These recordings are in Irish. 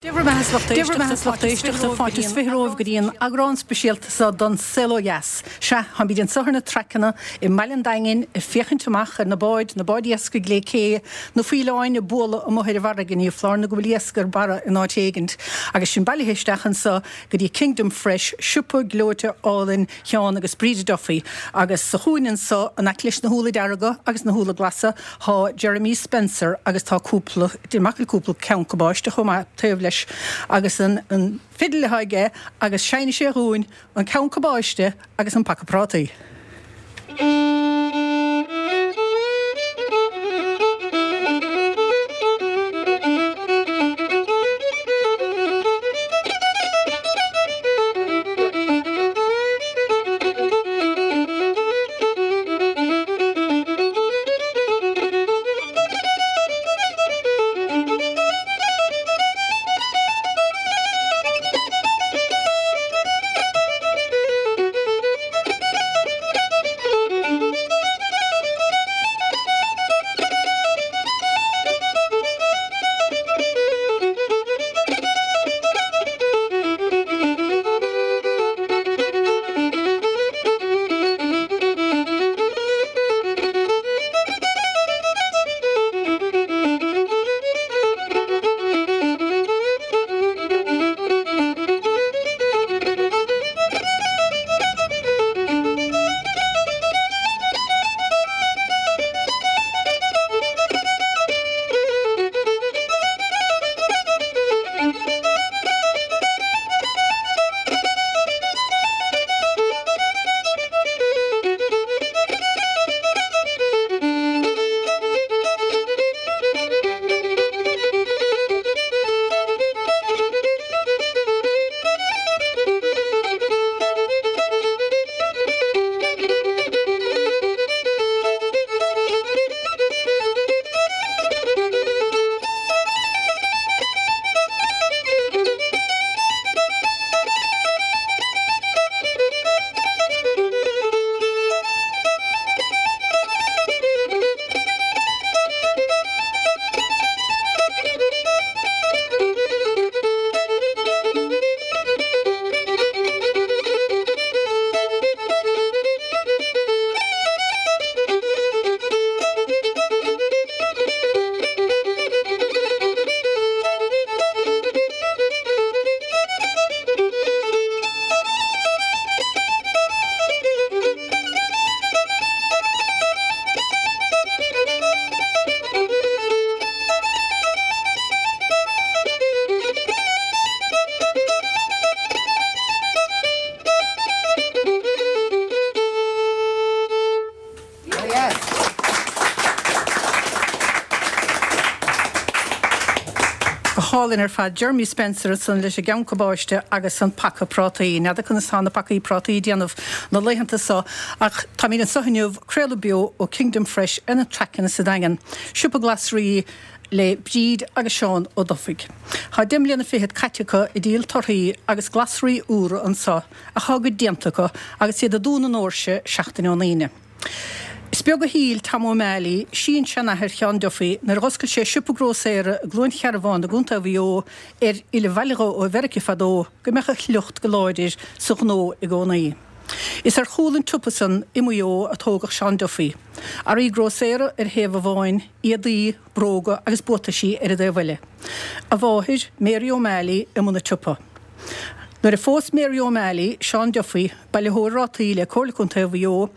Dé bhur mbeatha 's lucht éisteachta, fáilte is 20 romhaibh go dtí an eagrán speisialta seo don Saol Ó Dheas. Sea, táimid anseo ar na traiceanna i mbaile an Daingin ag féachaint amach ar na báid, na báid iascaigh lé cé, na faoileáin ag bualadh amuigh ar an bhfarraige, ní foláir nó go bhfuil iasc ar barra in áit éigint. Agus sinn bailithe isteach anseo go dtí Kingdom Fresh, siopa gleoite álainn Sheáin agus Bríde Duffy. Agus sa chúinne anseo, in aice leis na húlla dearga agus na húlla glasa, Tá Jeremy Spencer agus tá cúpla, déarfainn go bhfuil cúpla ceann cabáiste chomh maith taobh leis agus an an fidil atá aige agus seinnfidh sé dhúinn an ceann cabáiste agus an paca prátaí. Go hálainn ar fad. Jeremy Spencer ansan leis an gceann cabáiste agus an paca prátaí. N'fheadar conas tá na pacaí prátaí ag déanamh na laethanta so ach táimid anso inniu, craoladh beo ó Kingdom Fresh ar na traiceanna sa Daingean. Siopa glasraí le Bríd agus Seán Ó Dufaigh. Tá deich mbliana fichead caite acu ag díol torthaí agus glasraí úra anso ach tá a gcuid déanta acu agus iad ag dúnadh na ndoirse seachtain ón Aoine. Is beag a shíl Tom O'Malley, sin-seanathair Sheáin Duffy, nuair a dh'oscail sé siopa grósaera i gCluain Chearbháin i gContae Mhaigh Eo, ar fhilleadh abhaile dhó ó Mheirice fadó, go mbeadh a shliocht go láidir sa ghnó i gcónaí. Is ar chúl an tsiopa san i Maigh Eo a tógadh Seán Duffy. Earraí grósaera ar thaobh amháin, éadaí, bróga agus buataisí ar an dtaobh eile. A mháthair, Mary O'Malley, i mbun an tsiopa. Nuair a phós Mary O'Malley Seán Duffy, bailitheoir rátaí le Comhairle Contae Mhaigh Eo,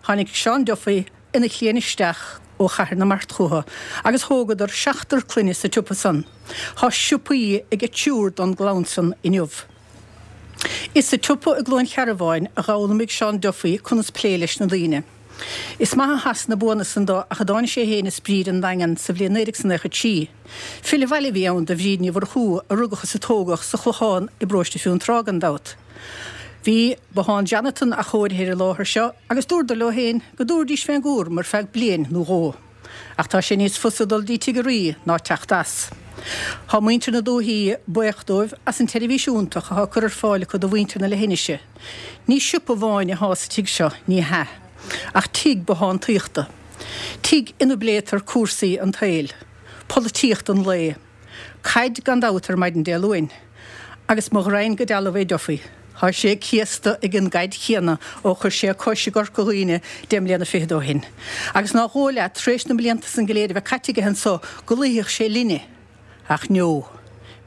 tháinig Seán Duffy ina chliaint isteach ó Chathair na Mart chucu agus thógadar seachtar clainne sa tsiopa san. Tá siopaí ag triúr don gclann san inniu. Is sa tsiopa i gCluain Chearbháin a d'fhoghlaimigh Seán Duffy conas plé leis na daoine. Is maith a sheas na buanna san do ach a dtáinig sé fhéin is Bríd 'on Daingean sa bhliain 1993. Filleadh abhaile a bhí ann do Bhríd Ní Mhurchú a rugadh is a tógadh sa Chlochán i bparóiste Fionntrá gan dabht. Bhí bothán Jonathan athchóirithe ar an láthair seo agus dúradar leo fhéin go dtabharfaidís fén gcúram ar feadh bliain nó dhó. Ach tá sé níos fusa dul dtí Tigh a Rí ná teacht as. Tá muintir na dúichí buíoch dóibh as an tseirbhís iontach athá curtha ar fáil acu do mhuintir na leithinise. Ní siopa amháin athá sa tigh seo, ní hea, ach tigh bothántaíochta. Tigh ina bpléitear cúrsaí an tsaoil. Polaitíocht an lae. Caid gan dabht ar maidin Dé Luain. Agus mo ghraidhin go dealbh é Duffy. Thá sé céasta ag an gcaid chéanna ó chuir sé a cois i gCorca Dhuibhne deich mbliana fichead ó shin. Agus nár dhóigh leat, tar éis na mblianta san go léir a bheith caite aige anso, go luífeadh sé linne. Ach no.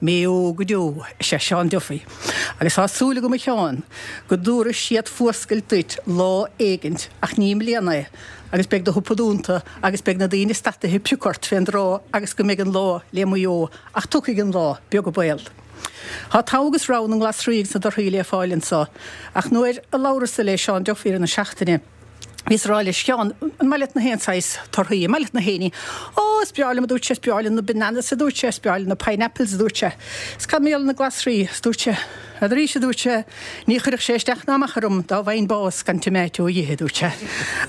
Maigh Eo go deo is ea Seán Duffy. Agus tá súil agam a Sheáin, go dtabharfaidh siad fuascailt duit lá éigint, ach ní i mbliana é, agus beidh do shiopa dúnta agus beidh na daoine stataithe ag piocadh ort fén dtrá agus go mbeidh an lá le Maigh Eo, ach tiocfaidh an lá, beag an baol. Tá togha agus rogha na nglasraí agus na dtorthaí le fáil anso, ach nuair a labhrasa le Seán Duffy i rith na seachtaine, bhíos ag rá leis, Sheáin, an maith leat na haon saghas torthaí, an maith leat na haon ní? Ó, is breá liom, a dúirt sé, is breá liom na bananas, a dúirt sé, is breá liom na pineapples, a dúirt sé. Is cad mar gheall ar na glasraí? Is dúirt sé, N'fheadar, a dúirt sé, ní chuirfeadh sé isteach ná amach orm dá bhfaighinn bás gan tomato a dh'ithe, a dúirt sé.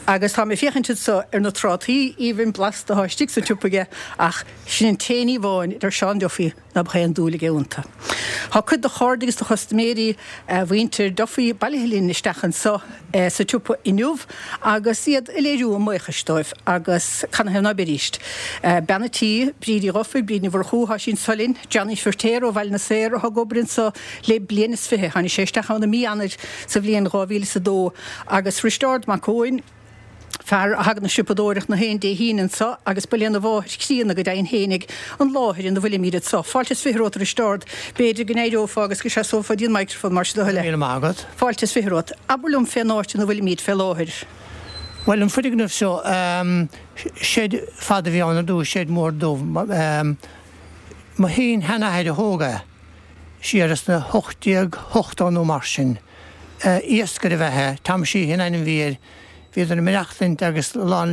Agus tá mé ag féachaint anso ar na trátaí aoibhinn blasta atá istigh sa tsiopa aige ach sin an t-aon ní amháin a deir Seán Duffy ná beadh aon dúil aige iontu. Tá cuid de chairde agus de chustaiméirí mhuintir Duffy bailithe linn isteach anso sa tsiopa inniu agus iad ag léiriú a mbuíochais dóibh agus canathaobh ná beidíst. Bean a' tí, Bríd Uí Dhufaigh, Bríd Ní Mhurchú, thá sí anso linn, Johnny Firtéar ó Bhaile na Saor athá ag obair anso le bliain is fiche, tháinig sé isteach ann i mí Eanáir sa bhliain 2002, agus Risteárd Mac Eoin, fear a thagann ag siopadóireacht na haon Dé hAoine anso agus ba lena mháthair chríonna go deimhin fhéinig an láthair ina bhfuilimíd anso. Fáilte is fiche romhat a Risteárd. B'fhéidir go n-éireofá agus go seasófá dtí an microphone mar sin do thoil é. Míle maith agat. Fáilte is fiche romhat. Abair liom fén áit ina bhfuilimíd fé láthair. Bhuel, an foirgneamh seo, seid fada a bhí ann ar dtús, seid mór dubh. Mo shin-sheanathair a thóg é, siar sna 1880 nó mar sin. Iascaire ab ea é, Tom Sheehy an ainm a bhí air. Bhíodar ag maireachtaint agus a lán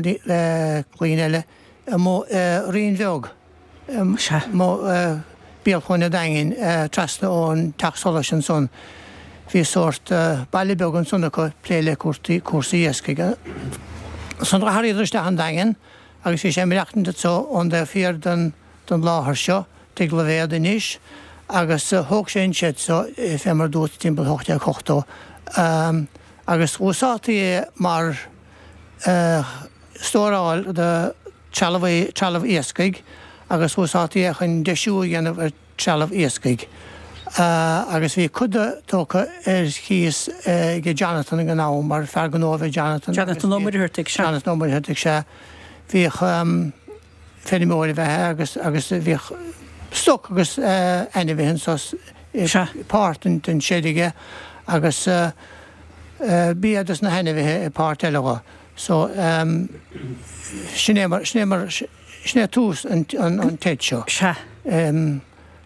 clainn eile amuigh i Rinn Bheag. Amuigh béal Cluain a' Daingin, trasna ón teach solais ansan. Bhí sórt baile beag ansan acu ag plé le cúrsaí iascaigh. Ansan d'athraíodar isteach an Daingean agus bhí sé ag maireachtaint anso ón dtaobh thiar den láthair seo, Tigh Loibhéad anois, agus thóg sé an seid so fé mar dúirt timpeall 1880 agus dh'úsáidtí é mar stóráil do trealamh trealamh iascaigh agus úsáidtí é chun deisiú a dhéanamh ar trealamh iascaigh agus bhí cuid de tógtha ar chíos ag Jonathan ag an am mar fear gnó a bhí Jonathan. Jonathan Ó Muircheartaigh, sea. Jonathan Ó Muircheartaigh, sea. Bhíodh feirmeoir ab ea é agus agus bhíodh stoc agus ainmhithe anso i páirt den seid aige agus bia dos na hainmhithe i páirt eile dho. So, sin é mar, sin é mar, sin é tús an tseid seo. Sea.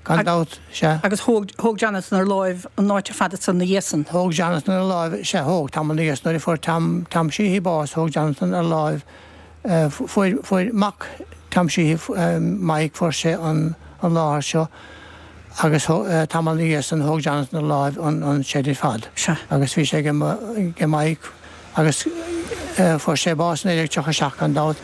Gan dabht, sea. Agus thóg, thóg Jonathan ar láimh an áit ar fad ansan ina dhiaidh san. Thóg Jonathan ar láimh, sea, thóg, tamall ina dhiaidh san, nuair a fuair Tom, Tom Sheehy bás, thóg Jonathan ar láimh, fuair, fuair mac Tom Sheehy, Mike, fuair sé an, an láthair seo agus tamall ina dhiaidh san thóg Jonathan ar láimh an, an seid ar fad. Sea. Agus bhí sé ag, ag Mike. Agus fuair sé bás i 1937 gan dabht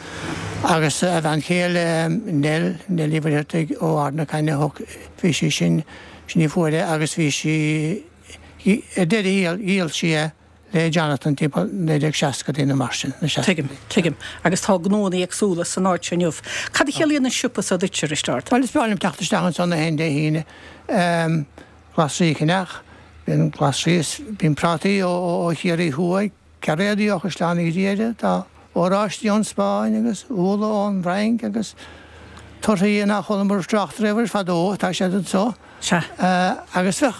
agus a bhean chéile Nell, Nell Uí Mhuircheartaigh ó Ard na Caithne, thug, bhí sí sin, sin í a fuair é agus bhí sí, ar deireadh thiar dhíol sí é le Jonathan timpeall 1960idí nó mar sin, na seascaidí. Tuigim, tuigim. Agus tá gnóanna éagsúla san áit seo inniu. Cad a chiallaíonn an siopa seo duitse, a Risteárd? Bhuel is breá liom teacht isteach anso na haon Dé hAoine. Glasraí a cheannach. Bíonn glasraí is bíonn prátaí ó Chiarraí Thuaidh, cairéadaí ó Chaisleán Uí Ghriaire, tá oráistí ón Spáinn agus úlla ón bhFrainc agus torthaí nár chualamar trácht riamh air fadó, tá siad anso. Sea. Agus bheadh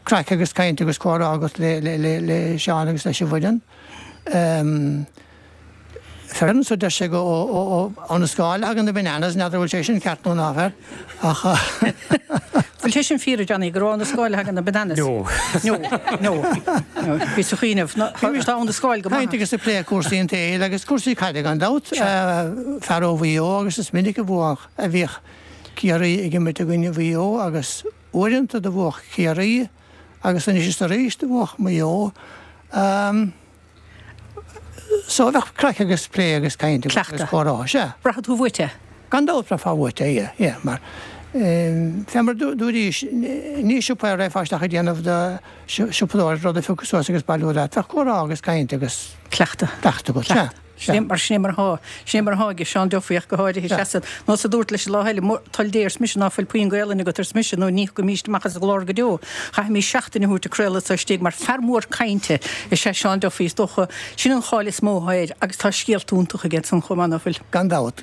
craic agus caint agus comhrá agat le Seán agus leis an bhfoireann. Fear anso deir sé gur ón Astráil a thagann na bananas, n'fheadar an bhfuil sé sin ceart nó ná fear, ach. Bhfuil sé sin fíor, a Johnny, gur ón Astráil a thagann na bananas? No. No, no, no. Bhíos ag cuimhneamh, tá ón Astráil go maith. Caint agus ag plé cúrsaí an tsaoil agus cúrsaí caide gan dabht. Fear ó Mhaigh Eo agus is minic a bhuadh, a bhíodh Ciarraí ag imirt i gcoinne Mhaigh Eo agus uaireanta do bhuadh Ciarraí agus anois is arís do bhuadh Maigh Eo. So bheadh craic agus plé agus caint agus Cleachtadh. comhrá, sea. Braithfidh tú uait é. Gan dabht bhraithfeá uait é, yeah, yeah, mar fé mar dúraís, ní siopa é a raghfá isteach ag déanamh do siopadóireacht, rud a phiocadh suas agus bailiú leat, bheadh comhrá agus caint agus Cleachtadh. cleachtadh agat, sea. Sin é mar, sin é mar atá, sin é mar atá aige Seán Duffy ach go háirithe, seasann. Nós a dúrt leis an lá eile, toil Dé ars mise ná fuil puinn Gaelainne agat ars mise nó ní thiocfaimíst amach as an gclár go deo. Chaithfimís seachtain a thabhairt ag craoladh anso istigh mar fear mór cainte is ea Seán Duffy is dócha. Sin an cháil is mó atá air agus tá scéalta iontacha aige ansan chomh maith, ná fuil? Gan dabht.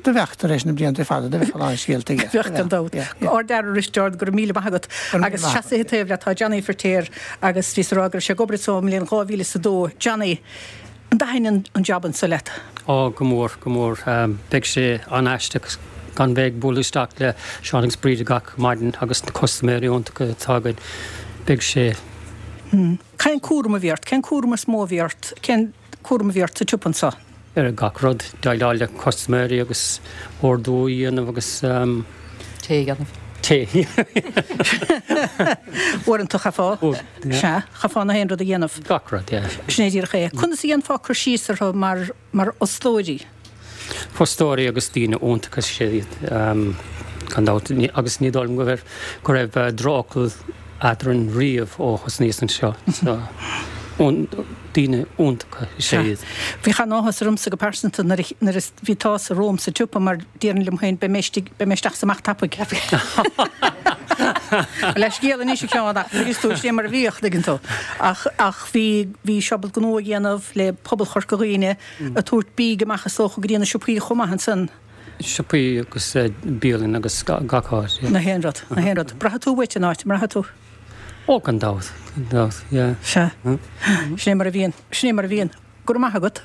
Do bheadh, tar éis na blianta fada, do bheadh a lán scéalta aige. Bheadh, gan dabht. Ardfhear a Risteárd, go raibh míle maith agat. Agus seasaithe taobh leat tá Johnny Feirtéar agus bhíos ag rá go raibh sé ag obair anso ón mbliain 2002. Johnny, an dtaithin an jab anso leat? Ó, go mór, go mór. Beidh sé an-aisteach gan bheith ag bualadh isteach le Seán agus Bríd gach maidin agus na custaiméirí iontacha atá againn. Beidh sé. Cén cúram a bhí ort? Cén cúram is mó a bhí ort? Cén cúram a bhí ort sa tsiopa anso? Ar gach rud, déileáil le custaiméirí agus ordú a dhéanamh agus. Tae a dhéanamh. Tae. Uaireanta chaithfeá. Sea, chaithfeá na haon rud a dhéanamh. Gach rud, yeah. Sin é díreach é. Conas a dhéanfá cur síos orthu mar, mar fhostóirí? Fostóirí agus daoine iontacha is ea iad, gan dabht. Agus ní dóigh liom go raibh, go raibh drochfhocal eadrainn riamh ó thosnaíos anseo. So, daoine iontacha is ea iad. Bhíodh an-áthas ormsa go pearsanta nuair a, nuair a bhí tusa romham sa tsiopa mar déarfainn liom féin beidh mé istigh, beidh mé isteach is amach tapaidh. Leithscéal anois a Sheáin ach bhí tú, sin é mar a bhíodh, tuigeann tú. Ach, ach bhí, bhí siad ábalta gnó a dhéanamh le pobal Chorca Dhuibhne ag tabhairt bídh amach is dócha go dtí na siopaí chomh maith ansan. Siopaí agus bialann agus gach áit, yeah. Na haon rud, na haon rud. Braithfidh tú uait an áit, an mbraithfidh tú? Ó, gan dabht, gan dabht, yeah. Sea. Sin é mar a bhíonn, sin é mar a bhíonn. Go raibh maith agat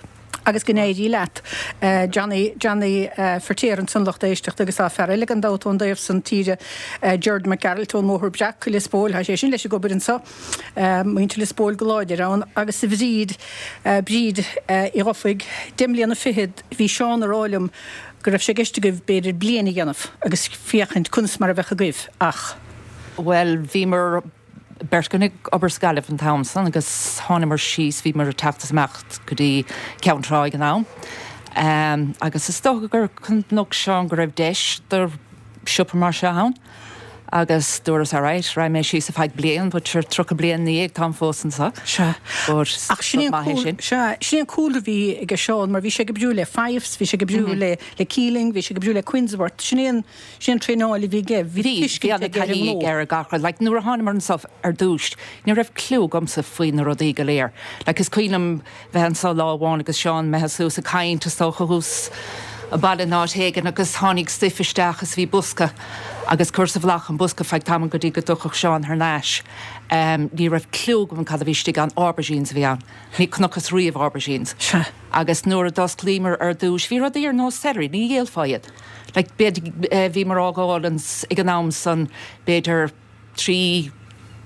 agus go n-éirí leat. Johnny, Johnny Feirtéar ansan lucht éisteachta agus tá fear eile gan dabht ón dtaobh san tíre, Gerard Mac Gearailt ón mBóthar Breac i Lios Póil, tá sé sin leis ag obair anso. Muintir Lios Póil go láidir ann agus a Bhríd, Bríd Uí Dhufaigh, deich mbliana fichead, bhí Seán ag rá liom go raibh sé i gceist agaibh b'fhéidir bliain a dhéanamh agus féachaint conas mar a bheadh agaibh ach. Bhuel, bhíomar beirt againn ag obair sa Ghaillimh an t-am san agus thánamar síos, bhíomar ag teacht is imeacht go dtí Ceann Trá ag an am agus is dócha gur chonaic Seán go raibh deis do siopa mar seo ann agus dúras alright, raghaidh mé síos ar feadh bliain but sure 30 bliain ina dhiaidh táim fós anseo. Sea. But Ach sin é an maith é sin. Sea, sin é an cúlra a bhí ag Seán mar bhí sé ag oibriú le Fyffes, bhí sé ag oibriú le le Keeling, bhí sé ag oibriú le Quinnsworth, sin é an sin é an traenáil a bhí aige, bhí Bhí, bhí tuiscint aige ar an ana-thaithí aige ar gach rud. Like nuair a thánamar anseo ar dtús, ní raibh clue agamsa faoi na rudaí go léir. Like is cuimhin liom bheith anso lá amháin agus Seán imithe suas ag caint is dócha thuas i baile in áit éigin agus tháinig stuif isteach is bhí bosca agus chuireas i bhfolach an bosca feadh tamaill go dtí go dtiocfadh Seán thar n-ais. Ní raibh clue agam cad a bhí istigh ann, aubergines a bhí ann. Ní chonacthas riamh aubergines. Sea. Agus nuair a d'osclaíomar ar dtúis bhí rudaí ar nós celery, ní dhíolfá iad. Like b'fhéidir bhíomar á dh'fháil ag an am san b'fhéidir 3,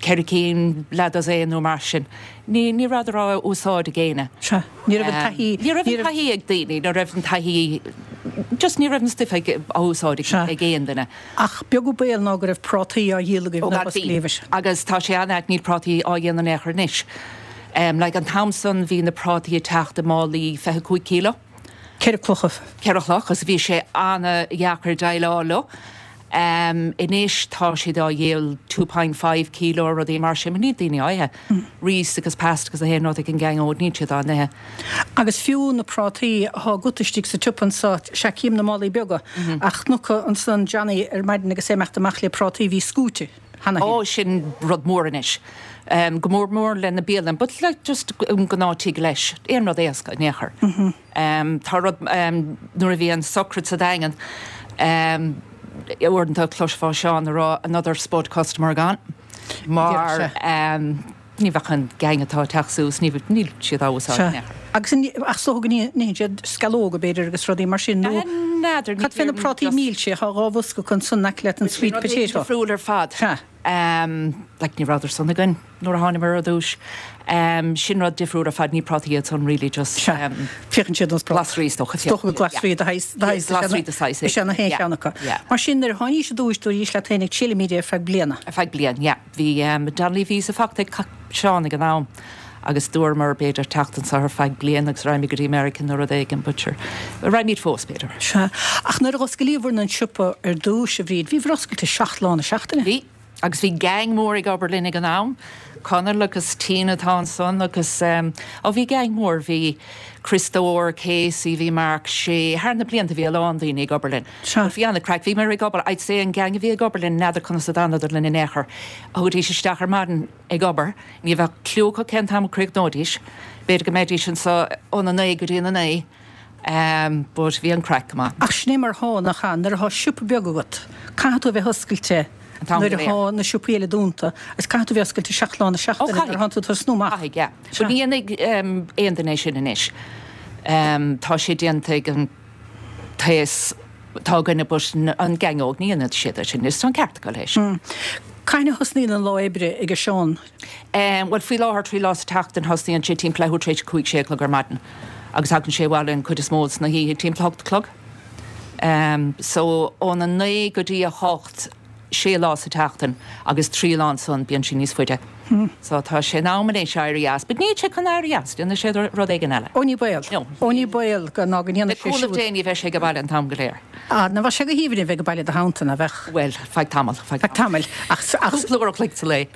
4 cinn, leath dosaen nó mar sin. Ní, ní rabhadar á úsáid ag éinne. Sea. Ní raibh an taithí, Ní raibh an taithí ag daoine, ní raibh an taithí, just ní raibh an stuif ag, á úsáid ag, ag aon duine. Ach beag an baol ná go raibh prátaí á dhíol agaibh nuair a osclaíodh. Agus tá sé an-ait, níl prátaí á dhéanamh in aon chor anois. Like an t-am san bhí na prátaí ag teacht i málaí 25 kilo. Ceithre clocha. Ceithre chloch agus bhí sé an-dheacair déileáil leo. Anois tá siad á dhíol 2.5 kilo rudaí mar sin, níl daoine á ithe. Rís agus pasta agus achan rud ag an gang óg, níl siad á n-ithe. Agus fiú na prátaí athá agat istigh sa tsiopa anso, sea cím na málaí beaga, ach chonac ansan Johnny ar maidin agus é ag imeacht amach le prátaí, bhí scúite cheana féin. Ó, sin rud mór anois. Go mór mór le na bialanna, but like just an gnáth tigh leis, aon rud éasca in aon chor. Tá rud, nuair a bhí an sochraid sa Daingean, uaireanta chloisfeá Seán ag rá another spud customer gone mar ní bheadh an gang atá ag teacht suas, ní, níl siad á úsáid in aon chor. Agus ach is dócha go n-itheann siad sceallóga b'fhéidir agus rudaí mar sin nó N'fheadar, cad fé na prátaí milse, tá dhá bhosca acu ansan in aice leat an sweet potato. Difriúil ar fad. Sea. Like ní rabhadar san againn nuair a thánamar ar dtús. Sin rud difriúil ar fad, ní prátaí iad san really just. Sea, féachann siad ar nós prátaí. Glasraí is dócha. Is dócha gur glasraí de shaghas, de shaghas, Glasraí de shaghas is ea na haon cheann acu. Mar sin nuair a tháinís ar dtúis dúraís leat féin ag triailfimid é ar feadh bliana. Ar feadh bliain, yeah. Bhí Donnelly visa faighte ag Seán ag an am agus dúramar b'fhéidir teacht anseo ar feadh bliain agus raghaimid go dtí Meiriceá nó rud éigin but sure raghaimid fós b'fhéidir. Sea. Ach nuair a dh'osclaíobhair an siopa ar dtúis, a Bhríd, bhíobhair oscailte seacht lá na seachtaine. Bhí. Agus bhí gang mór ag obair linn ag an am, Conall agus Tina atá ansan agus em, ó bhí gang mór, bhí Criostóir, Casey, bhí Mark Shea, thar na blianta bhí a lán daoine ag obair linn. Sea. But bhí an-craic, bhíomar ag obair, I'd say an gang a bhí ag obair linn, n'fheadar conas a d'fhanadar linn in aon chor, thagaidís isteach ar maidin ag obair, ní bheadh cliú acu cén t-am a chríochnóidís, b'fhéidir go mbeidís anso óna naoi go dtí a naoi, But bhí an craic go maith. Ach sin é mar atá, nach ea? Nuair atá siopa beag agat, caithfidh tú a bheith oscailte An t-am nuair go léir. atá na siopaí eile dúnta agus caithfidh tú a bheith oscailte 7 lá na Ó, seachtaine nuair caithfidh. atánn tú ag tosnú amach. Caithfidh, yeah. Sea. But ní dhéanfaidh aon duine é sin anois. Tá sé déanta ag an t-aos atá againne but an gang óg, ní dhéanfaidh siad é sin anois. Tá an ceart acu leis. Cathain a thosnaíonn an lá oibre ag Seán? Bhuel, faoi láthair, 3 lá sa tseachtain, thosnaíonn sé timpeall leathuair tar éis a 5, 6 a chlog ar maidin agus tagann sé abhaile an chuid is mó sna hoíche timpeall 8 a chlog. So, óna 9 go dtí a 8, 6 lá sa tseachtain agus 3 lá ansan bíonn sé níos faide. So, tá sé in am anois éirí as. But níl sé chun éirí as, déanfaidh sé rud éigin eile. Ó ní baol. No. Ó ní baol go ná go Le ndéanfaidh sé cúnamh siúd. Dé ní bheidh sé ag baile an t-am go léir. Ah, ná bheadh sé go haoibhinn a bheith ag baile i do theannta, ná bheadh? Bhuel, feadh tamaill, feadh Feadh tamaill, ach, ach. Cúpla uair a chloig sa lae.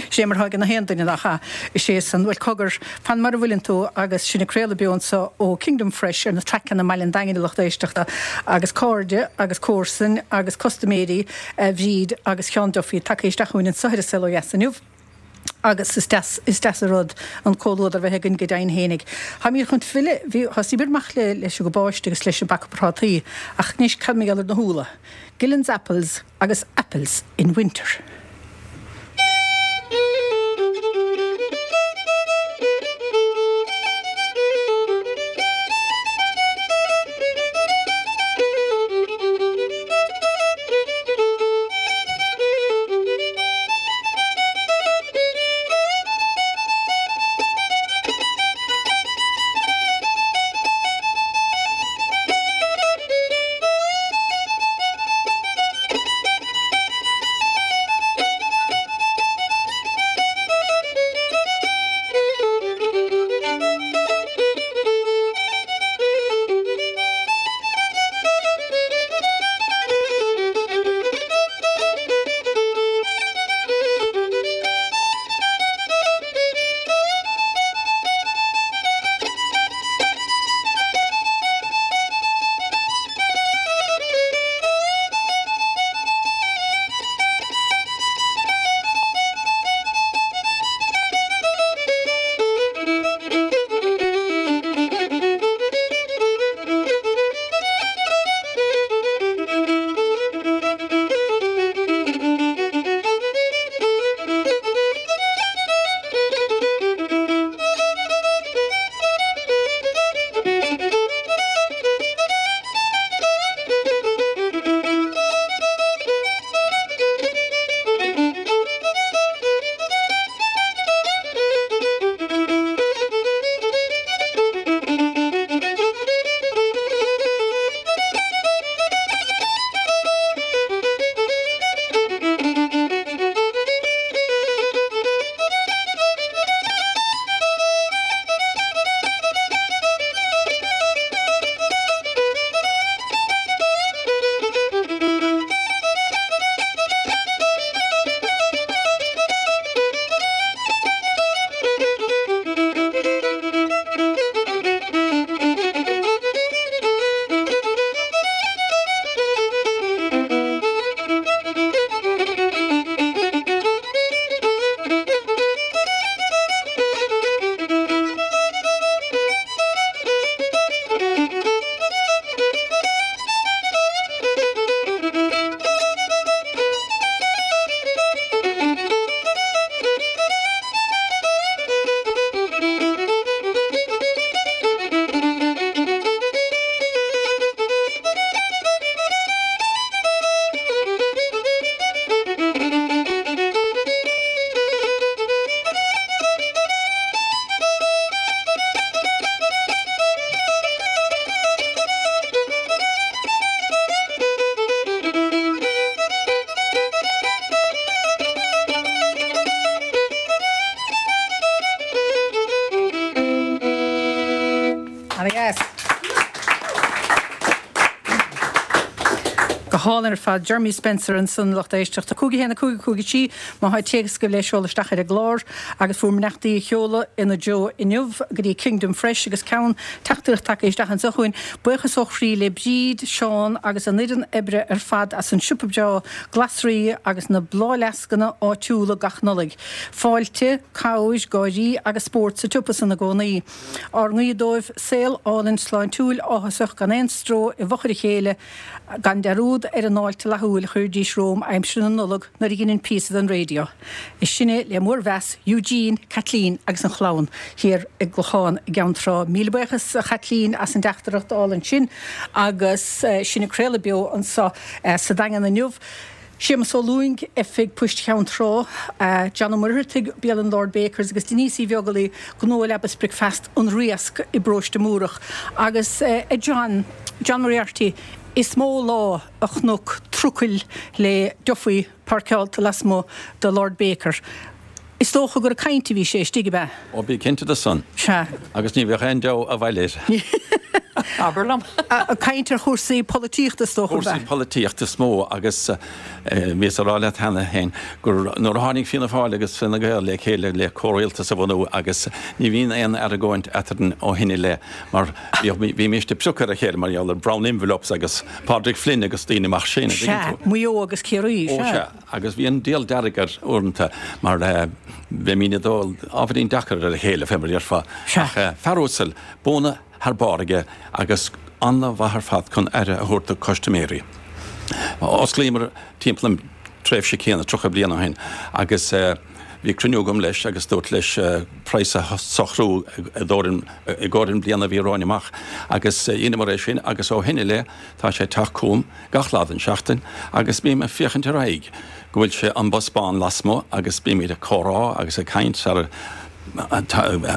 Sé mar atá ag na haon duine, nach ea? Is é san, bhuel, cogar, fan mar a bhfuileann tú agus sinn ag craoladh beo anseo ó Kingdom Fresh ar na traiceanna i mBaile an Daingin a lucht éisteachta agus cairde agus comharsain agus custaiméirí Bhríd agus Sheán Duffy tagtha isteach chugainn anseo ar An Saol Ó Dheas inniu. Agus is deas, is deas an rud an comhluadar a bheith againn go deimhin fhéinig. Táimid chun filleadh, bhí, thosaíomar amach le, leis an gcabáiste agus leis an bpaca prátaí, ach anois cad mar gheall ar na húlla? Gillen's Apples agus Apples in Winter. hálainn ar fad. Jeremy Spencer ansan, lucht éisteachta. 5 1 5 5 3 má thá téacs agaibh le seoladh isteach ar an gclár agus bhur mbeannachtaí a sheoladh ina dtreo inniu go dtí Kingdom Fresh agus ceann teachtaireacht tagtha isteach anseo chugainn. Buíochas ó chroí le Bríd, Seán agus an fhoireann oibre ar fad as an siopa breá glasraí agus na bláthfhleascanna áitiúla gach Nollaig. Fáilte, cabhair, gáirí agus spórt sa tsiopa san i gcónaí. Ár nguí dóibh saol álainn sláintiúil áthasach gan aon stró i bhfochair a chéile, gan dearúd ar an fháilte fhlaithiúil a chuiridís romham aimsir na Nollag nuair a dheininn píosa den raidió. Is sinne le mór-mheas Eugene, Kathleen agus an chlann thiar i gClochán i gCeann Trá. Míle buíochas a Chaitlín as an dteachtaireacht álainn sin agus sinn ag craoladh beo anseo sa Daingean inniu. Séamus Ó Lúing, Oifig Poist Cheann Trá, John Ó Muircheartaigh, Bialann Lord Bakers agus Denise Uí Bheaglaoi, Gnó Leaba 's Bricfeasta An Riasc i bParóiste Múrach. Agus a John, John Moriarty, is mó lá a chonac trucail le Duffy páirceálta lasmuigh de Lord Baker. Is dócha gur ag caint a bhí sé istigh, ab ea? Ó, bí cinnte de san. Sea. Agus ní bheadh aon deabhadh abhaile air. Abair liom. Ag caint ar chúrsaí polaitíochta, is dócha, ab ea? Cúrsaí polaitíochta is mó agus bhíos a rá leat cheana féin gur nuair a tháinig Fianna Fáil agus Fine Gael le chéile le comhrialtas a bhunú agus ní bhíonn aon argóint eadrainn ó shin i leith mar bhímist ag piocadh ar a chéile mar gheall ar brown envelopes agus Pádraig Flynn agus daoine mar sin, an dtuigeann tú? Sea, Maigh Eo agus Ciarraí, sea. Ó sea. Agus bhí an diabhal dearg air uaireanta mar bheimíd ag dul ábhairín deacair ar a chéile, fé mar a déarfá. Ach fear uasal, buanna thar barr aige agus an-mhaith ar fad chun aire a thabhairt do chustaiméirí. Osclaíomar timpeall an tréimhse céanna, 30 bliain ó shin, agus bhí cruinniú agam leis agus dúirt leis praghas a shocrú i gcomhair an bliana a bhí romhainn amach agus dheineamar é sin agus ó shin i leith tá sé ag teacht chugam gach lá den seachtain agus bím ag féachaint ar aghaidh go bhfuil sé an bus bán lasmuigh agus bímid ag comhrá agus ag caint sara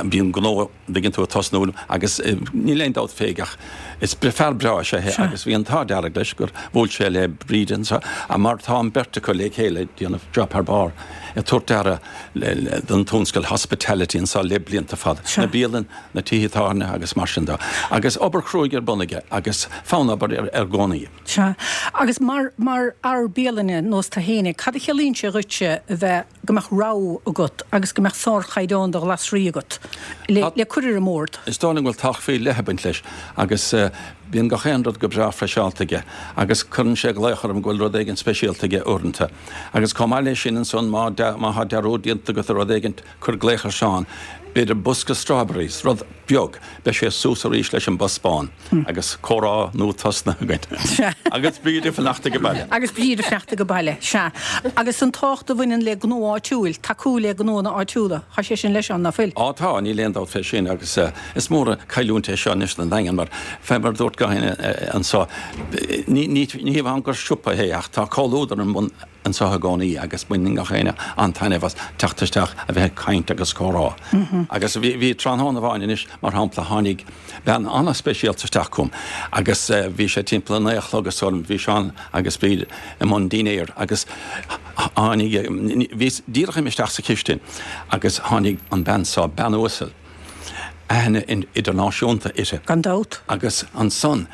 bíonn gnó an dtuigeann tú ag tosnú agus níl aon dabht fé ach is fear breá is ea é agus bhí an t-ádh dearg leis gur bhuail sé le Bríd anseo mar tá an bheirt acu le chéile ag déanamh job thar barr ag tabhairt aire don tionscal hospitality anseo le blianta fada. Na bialanna na tithe tábhairne agus mar sin de. Agus obair chruaidh ar bun aige agus fonn obair air i gcónaí. Sea. Agus mar, mar fhear bialainne nós tú fhéinig, cad a chiallaíonn sé dhuitse a bheith, go mbeadh rogha agat agus go mbeadh sárchaighdeán de ghlasraí agat le, le cur ar an mbord? Is dóigh liom go bhfuil tábhacht faoi leith ag baint leis agus bíonn gach aon rud go breá freiseálta aige agus cuireann sé glaoch orm go bhfuil rud éigin speisialta aige uaireanta. Agus chomh maith leis sin ansan má, má thá dearúd déanta agat ar rud éigin, Cuir glaoch ar Seán, b'fhéidir bosca strawberries, rud beag, beidh sé suas arís leis an bus bán agus comhrá nua tosnaithe againn. Agus Bríd ag fanacht age baile. Agus Bríd ag fanacht age baile, sea. Agus an tábhacht a bhaineann le gnó áitiúil, tacú le gnóanna áitiúla, tá sé sin le Seán, ná fuil? Á tá, níl aon dabht fé sin agus is mór an chailliúint é seo anois don Daingean mar, fé mar a dúirt gach éinne anseo, ní ní hamháin gur siopa é ach tá comhluadar ar bun anseo i gcónaí agus baineann gach éinne an-taitneamh as teacht isteach a bheith ag caint agus comhrá. Agus bhí, bhí tráthnóna amháin anois, mar shampla, tháinig bean an-speisialta isteach chugam agus bhí sé timpeall a naoi a chlog is dóigh liom, bhí Seán agus Bríd i mbun dinnéir agus tháinig, bhíos díreach imithe isteach sa chistin agus tháinig an bean seo, bean uasal, aithne idirnáisiúnta uirthi. Gan dabht. Agus ansan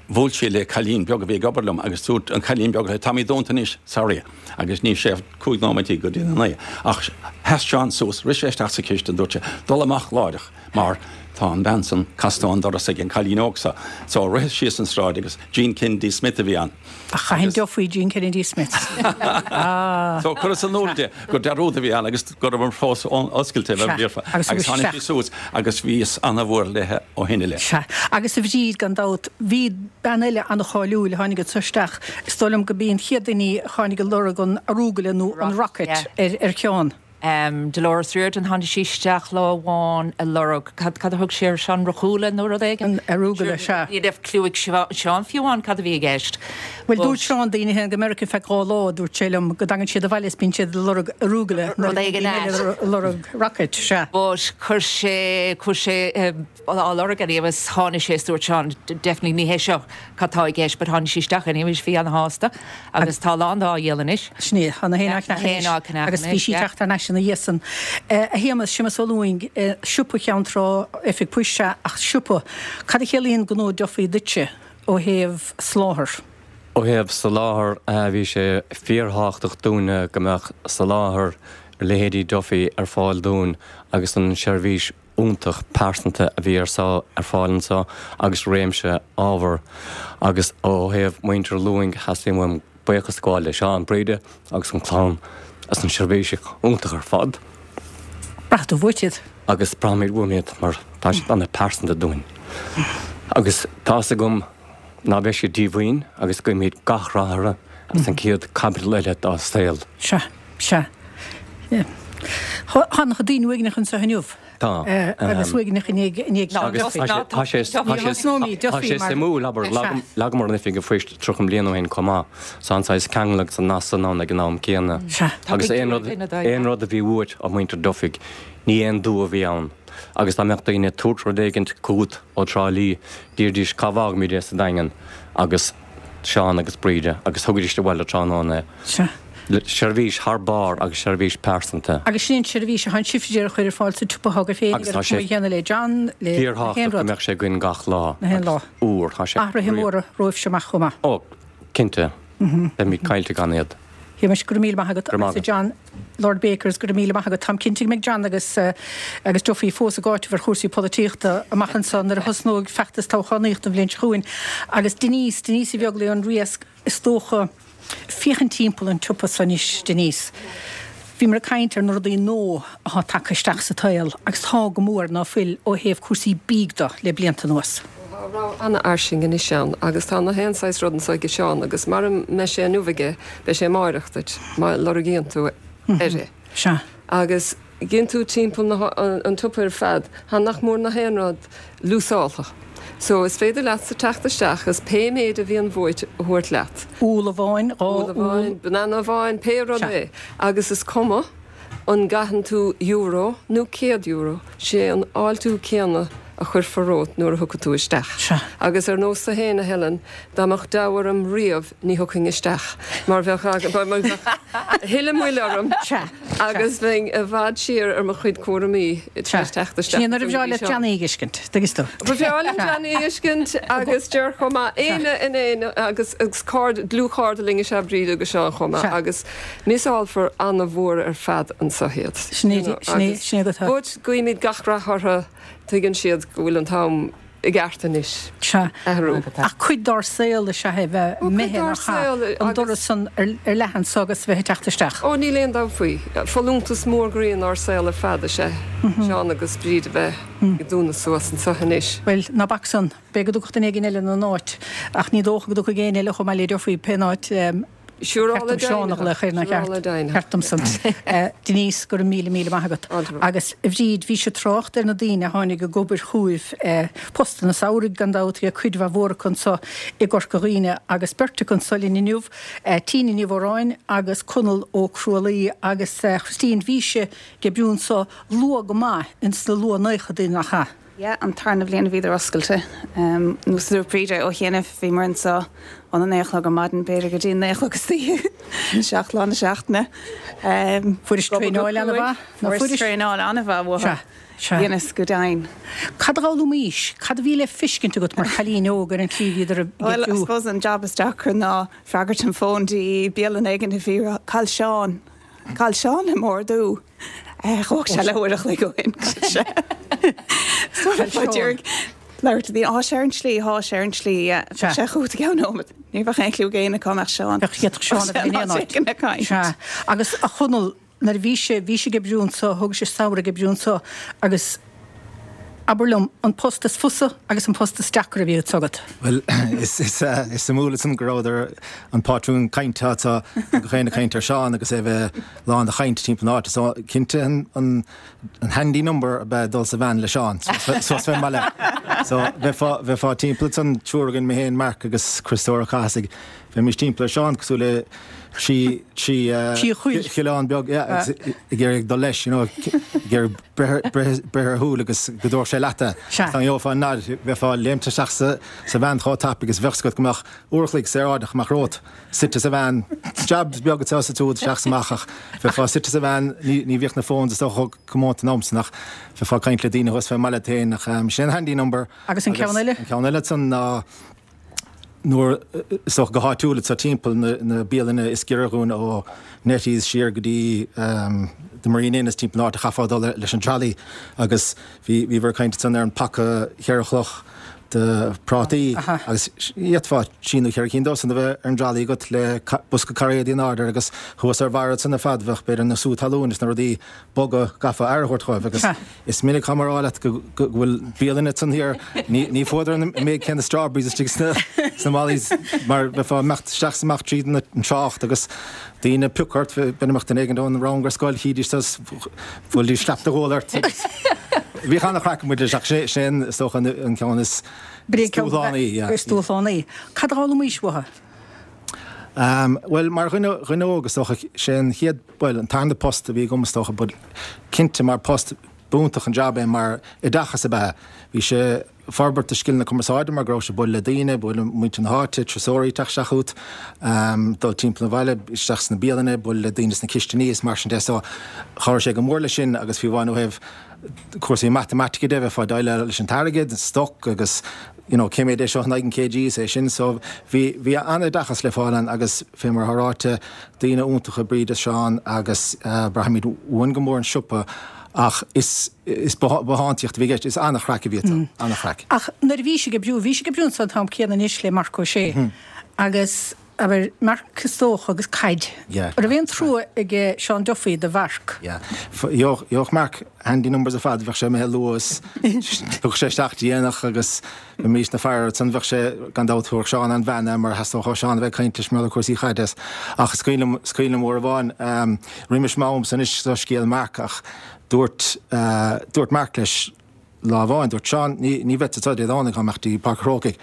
bhuail sí le cailín beag a bhí ag obair liom agus dúirt an cailín beag léi, Táimid dúnta anois, sorry. Agus ní raibh sé 15 nóiméidí go dtí a naoi. Ach sheas Seán suas, rith sé isteach sa chistin, dúirt sé, dul amach láithreach mar tá an bhean san casta ón doras ag an cailín óg seo. So ritheas síos an sráid agus Jean Kennedy Smith a bhí ann. Ach chaithfinn deoch faoi Jean Kennedy Smith. So cuireas in iúl di gur dearúd a bhí ann agus go rabhamar fós oscailte a bheith bhíorfa. Agus tháinig sí suas agus bhíos ana-mhór léithe ó shin i leith. Sea. Agus a Bhríd, gan dabht, bhí bean eile ana-cháiliúil a tháinig anseo isteach, is dóigh liom go b'í an chéad duine í a tháinig ag lorg an arugula nó an rocket ar Sheán. Dolores Riordan, tháinig sí isteach lá amháin ag lorg, cad, cad a thug sí air, Seán, rucúla nó rud éigin? An arugula, sea. Ní raibh cliú ag Seán fiú amháin cad a bhí i gceist. Bhuel, dúirt Seán daoine a théann go Meiriceá feadh 2 lá, dúirt sé liom, go dtagann siad abhaile is bíonn siad ag lorg arugula nuair a bhíonn daoine eile ag lorg rocket, sea. But chuir sé, chuir sé á lorg anyway agus tháinig sé is dúirt Seán, definitely ní hé seo cad tá i gceist but tháinig sí isteach anyway bhí ana-shásta agus tá a lán á dhíol anois. Sin é, tá na héin á gceannach anois agus bhí sí ag teacht thar n-ais ina dhiaidh san. A Shéamais, Séamus Ó Lúing, siopa Cheann Trá, oifig poist sea ach siopa, cad a chiallaíonn gnó Duffy duitse ó thaobh soláthair? Ó thaobh soláthar, bhí sé fíorthábhachtach dúinne go mbeadh soláthar leithéidí Duffy ar fáil dúinn agus an seirbhís iontach pearsanta a bhí ar ar fáil anseo agus réimse ábhar agus ó thaobh muintir Lúing theastaigh uaim buíochas a ghabháil le Seán, Bríde agus an clann as an seirbhís iontach ar fad. Braithfidh tú uait iad. Agus braithimid uaim iad mar tá siad ana-pearsanta dúinn. Agus tá's agam ná beidh siad díomhaoin agus guímid gach rath orthu as an chéad caibidil eile dá saol. Sea, sea. Tá an-chuid daoine uaigneach anseo inniu. Tá. Agus uaigneach i ndiaidh Seán Duffy. Tá sé suimiúil, abair, leagamar an oifig an phoist 30 bliain ó shin chomh maith. So an saghas ceangal agus an nasc san ann ag an am céanna. Agus aon rud, aon rud a bhí uait ó mhuintir Duffy, ní aon dua a bhí ann. Agus dá mbeadh daoine ag tabhairt rud éigint chugat ó Trá Lí, d'iarraidís cá bhfágfaimid é sa Daingean agus Seán agus Bríde agus thugaidís abhaile tráthnóna é. Seirbhís thar barr agus seirbhís pearsanta. Agus sin an tseirbhís atá sibhse d'iarraidh a chur ar fáil sa tsiopa atá agaibh féin Agus tá sé chéanna le John, le fíorthábhachtach go mbeadh sé againn gach lá agus uair. Tá sé Athruithe móra romhaibhse amach chomh maith. Ó, cinnte. Beimid caillte gan iad. Shéamais, go raibh míle maith agat. Go raibh maith agat. John, Lord Bakers, go raibh míle maith agat. Táim cinnte go mbeidh John agus agus Duffy fós ag áiteamh ar chúrsaí polaitíochta amach anseo nuair a thosnóidh feachtas toghchánaíochta an bhliain seo chugainn. Agus Denise, Denise Uí Bheaglaoich ón Riasc, is dócha, féachaint timpeall an tsiopa seo anois, Denise. Bhíomar ag caint ar na rudaí nua atá tagtha isteach sa tsaol agus tá go mór ná fuil ó thaobh cúrsaí bídh de le blianta anuas. Tá rogha an-fhairsing anois ann agus tá na haon saghas rud anso aige Seán agus mara mbeidh sé inniu aige beidh sé amáireach duit má lorgaíonn tú air é. Sea. Agus gíonn tú timpeall na an tsiopa ar fad, tá nach mór na haon rud liúsáltha. So is féidir leatsa teacht isteach is pé méid a bhíonn uait a thabhairt leat. Úll amháin, dá úll. Úll amháin, banana amháin, pé rud é. Agus is cuma an gcaitheann tú euro nó €100, sé an fháiltiú céanna a chuirfear romhat nuair a thiocfaidh tú isteach. Sea. Agus ar nós tú féin, a Helen, dá mbeadh deabhadh orm riamh ní thiocfainn isteach mar bheadh a thuilleadh moill orm agus bheinn i bhfad siar ar mo chuid cúraimí tar éis teacht isteach. Sin é nuair a bhreá leat Johnny a fheiscint, tuigeann tú. Ba bhreá liom Johnny a fheiscint agus Ger chomh maith, éinne in éinne agus cairde, dlúthchairde linn is ea Bríd agus Seán chomh maith agus miseálfar ana-mhór ar fad anso iad. Sin é, sin é, sin é go tá. But guímid gach rath orthu. Tuigeann siad go bhfuil an t-am i gceart anois Sea. athrú. Ach cuid dár saol is ea é bheith Ó, cuid imithe dár nach ea, saol an agus. doras san ar leath anso agus bheith ag teacht isteach. Ó, níl aon dabht faoi. Folúntas mór groí inár saol ar fad is ea Seán agus Bríd a bheith ag dúnadh suas anso anois. Bhuel, ná bac san. B'fhéidir go dtiocfadh duine éigin eile ina n-áit. Ach ní dócha go dtiocfaidh éinne eile chomh maith le Duffy pé n-áit. Siúrála Seán a ghlaoch air nach ceart? Ceart domsa. Denise, go raibh míle míle maith agat. Agus a Bhríd, bhís ag trácht ar na daoine a tháinig ag obair chugaibh, postanna samhraidh gan dabht, bhí cuid mhaith mhór acu anso i gCorca Dhuibhne agus beirt acu anso linn inniu, Tina Ní Mhóráin agus Conall Ó Crualaoi agus Christine, bhís ag oibriú anso luath go maith ins na luath naochadaí nach ea? Yeah, an tarna bhliain a bhíodar oscailte. Nós a dúirt Bríd ó chianaibh, bhíomar anso óna naoi a chlog ar maidin, b'fhéidir go dtí a naoi a chlog istoíche, 7 lá na seachtaine. Fuairis traenáil an-mhaith, ná fuairis? Fuaireas traenáil an-mhaith uathu. Sea, sea. Dheineas go deimhin. Cad a d'fhoghlaimís? Cad a bhí le feiscint agat mar chailín óg ar an tslí a bhíodar ag Bhuel, I oibriú? suppose an jab is deacra ná freagairt an fóin dtí bialann éigin a bhí ag rá, Cá bhfuil Seán? Cá bhfuil Seán le m'ordú? Thóg sé leathuair a chloig ó shin, sé. So bheifeá d'iarraidh labhairt le daoine, Tá sé ar an tslí, tá sé ar an tslí, yeah. Bheadh sé chugat i gceann nóiméad. Ní bheadh aon chliú ag éinne cá mbeadh Seán. Bheadh d'fhéadfadh Seán a bheith in aon áit. Sea. Agus a Chonaill, nuair a bhí sé, bhí sé ag oibriú anso, thóg sé samhradh ag oibriú anso agus Abair liom, an post is fusa agus an post is deacra a bhí agat? Bhuel, is suimiúil ansan go rabhadar an pátrún cainte atá gach éinne ag caint ar Seán agus é a bheith lán de chaint timpeall na háite. So, cinnte an handy number ab ea dul sa veain le Seán suas fén mbaile. So, bheifeá, bheifeá timpeall ansan, triúr againn, mé féin, Mark agus Criostóir Ó Cathasaigh, bheimis timpeall ar Seán cosúil le trí, trí choileán beag, yeah, agus ag iarraidh dul leis, you know, ag iarraidh breith ar a shúil agus go dtabharfadh sé leat é. Dá ngeofá an nod, bheifeá léimte isteach sa veain chomh tapaidh agus bheadh 's agat go mbeadh uair a chloig saoráideach amach romhat, suite sa veain. Jab beag anseo is ansiúd, isteach is amach ach bheifeá suite sa veain, ní bhíodh na phones is dócha chomh comónta an am san ach bheifeá ag caint le daoine thuas fén mbaile féin ach sin an handy number. Agus an ceann eile? An ceann eile ansan ná. Nuair, is dócha go háitiúil anseo timpeall na bialanna is giorra dhúinn ó Nettie's siar go dtí The Marine Inn is timpeall na háite chaithfeá dul leis an trolley agus bhí, bhíobhair ag caint ansan ar an paca cheithre chloch de prátaí agus d'fhéadfá trí nó cheithre cinn dósan a bheith ar an dtrolley agat le bosca cairéadaí in airde agus thuas ar bharra ansan ar fad bheadh b'fhéidir na sú talún is na rudaí boga gcaithfeá aire a thabhairt dhóibh agus is minic táim á rá leat go bhfuil bialanna ansan thiar, ní fuaireadar an méid céanna strawberries istigh sna malaí mar bheifeá ag imeacht isteach is amach tríd an trácht agus daoine ag piocadh ort, b'fhéidir mbeadh duine éigin ón rang ar scoil, chídís tusa, bhuailfidís slap de ghual ort agus bhíodh an-chraic muid leis ach sin is dócha an ceann is dúshlánaí. Is dúshlánaí. Cad a d'fhoghlaimís uathu? Bhuel, mar dhuine, dhuine óg is dócha, sé an chéad, bhuel, an tarna post a bhí agam is dócha, but cinnte mar post, b'iontach an jab é mar oideachas ab ea. Bhí sé ag forbairt do scileanna cumarsáide mar go raibh sé ag bualadh le daoine, bualadh le muintir na háite, turasóirí ag teacht isteach chugat, dul timpeall an bhaile, isteach sna bialanna, bualadh le daoine sna cistiní is mar sin de. So chabhraigh sé go mór leis sin agus fiú amháin ó thaobh cúrsaí matamaitice de, bheifeá ag déileáil leis an t-airgead, an stoc agus you know cé mhéad é seo in aghaidh an kg is é sin. So bhí, bhí an-oideachas le fáil ann agus fé mar atá ráite, daoine iontacha Bríd is Seán agus braithimid uainn go mór an siopa ach is, is bothántaíocht a bhí i gceist, is an-chraic a bhí ann, an-chraic. Ach nuair a bhís ag oibriú, bhís ag oibriú ansan an t-am céanna anois le Marc Ó Sé agus abair, Marc is dócha agus caid. Yeah. Raibh aon trua aige Seán Duffy do Mharc? Yeah. Gheobhadh Marc handy numbers ar fad, bheadh sé imithe luath is thiocfadh sé isteach déanach agus bheimis ag faire ansan bheadh sé, gan dabht, thabharfadh Seán an-bhean air mar theastódh ó Sheán a bheith ag caint leis mar gheall ar cúrsaí caide. Ach is cuimhin liom, is cuimhin liom uair amháin, roimis m'amsa anois seo scéal Marc ach dúirt, dúirt Marc leis, Lá amháin, dúirt Seán, ní, ní bheadsa anseo Dé Domhnaigh, táim ag imeacht dtí Páirc an Chrócaigh.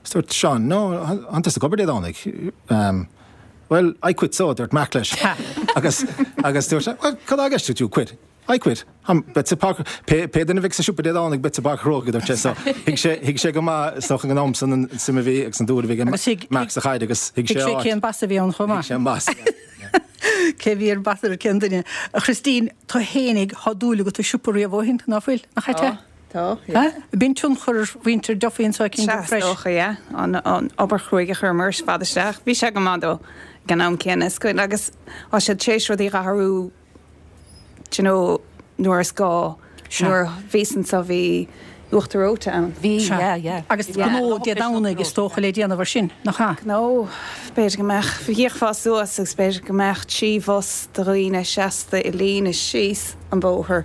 Is dúirt Seán, no, tánn tusa ag obair Dé Domhnaigh. Um, well, I quit so, dúirt Marc leis. Agus, agus dúirt sé, well, cad tá i gceist agat, you quit? I quit. Táim, beadsa i Páirc, pé, pé duine a bheidh sa siopa Dé Domhnaigh, beadsa i bPáirc an Chrócaigh, dúirt sé. So, thuig sé, thuig sé go maith, is dócha ag an am san an suim a bhí agus an dúil a bhí ag Agus thuig, Marc sa chaid agus thuig thuig sé sé a áit. cén bas a bhí ann chomh Thuig maith. sé an bas, yeah. Cé bhí ar bas ar cén duine? A Christine, tú fhéinig, thá dúil agat i siopa riamh ó shin, ná fuil? Nach ait é? Tá, yeah. Bíonn tionchar ar mhuintir Duffy anseo ag Sea, is dócha, yeah. An obair chruaidh a chuireamar ar fad isteach. Bhí sé go maith dó ag an am céanna. Is cuimhin, agus tá siad tar éis rudaí a athrú do you know, nuair is gá. Nuair a bhíos anseo bhí uachtar reoite ann. Bhí, yeah, yeah. Agus gnó Dé Domhnaigh is dócha le déanamh ar sin, nach ea? Gnó, b'fhéidir go mbeadh, thíocfá suas agus b'fhéidir go mbeadh 3 bhus de dhaoine seasta i líne síos an bóthar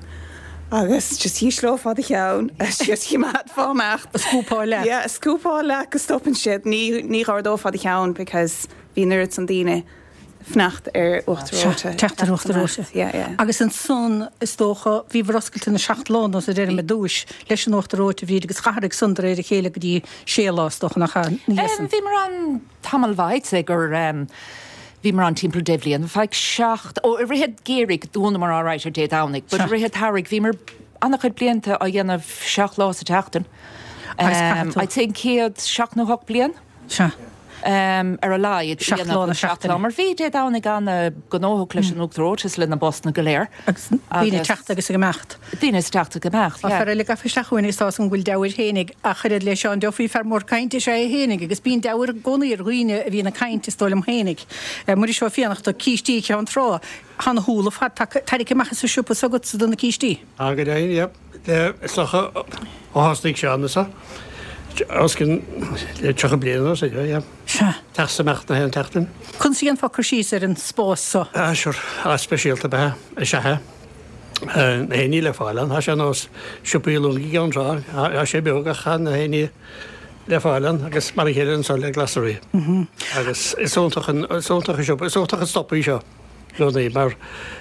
agus just dhísleofá do cheann agus just choimeádfá amach. Scúpáil leat. Yeah, scúpáil leat go stopann siad. Ní, ní dh'ardófá do cheann because bhí an oiread san daoine. fanacht ar uachtar reoite. Teacht ar uachtar reoite. Yeah, yeah. Agus ansan, is dócha, bhíobhair oscailte na seacht lá nó a deirim ar dtúis, leis an uachtar reoite, a Bhríd, agus d'athraigh san de réir a chéile go dtí sé lá, is dócha, nach ea? Ina dhiaidh san. Bhíomar ann tamall mhaith, I'd say gur bhíomar ann timpeall deich bhliain, feadh seacht, ó i rith an gheimhridh dhúnamar alright ar Dé Domhnaigh, but i rith an tsamhraidh bhíomar an-chuid blianta á dhéanamh seacht lá sa tseachtain. Agus caithfidh tú. I'd say an chéad seacht nó hocht bliain. Sea. Ar a laghad, Seacht lá na seachtaine. Mar bhí Dé Domhnaigh an-ghnóthach leis an uachtar reoite is le na busanna go léir. Agus daoine ag teacht agus ag imeacht. Daoine ag teacht ag imeacht, yeah. Tá fear eile gafa isteach chugainn agus tá 'fhios agam go bhfuil deabhair fhéinig ach oiread le Seán Duffy, fear mór cainte is ea é fhéinig agus bíonn deabhair i gcónaí ar dhaoine a bhíonn ag caint, is dóigh liom fhéinig. Muiris Ó Fiannachta, cístí Cheann Trá, tá na húlla fad tarraicthe amach as an siopa s'agatsa do na cístí. Tá go deimhin, yeah. Is dócha ó thosnaigh Seán anseo, os cionn le 30 bliain anuas, yeah. Sea. Teacht is imeacht na haon tseachtain. Conas a dhéanfá cur síos ar an spás so? Ah, sure. Áit speisialta ab ea é. Is ea é. Na haon ní le fáil ann. Tá sé ar nós siopaí long i gCeann Trá. Tá sé beag ach tá na haon ní le fáil ann agus mar a chéile anseo le glasraí. Agus is iontach an, is iontach an siopa, is iontach an stop í seo. gcónaí, mar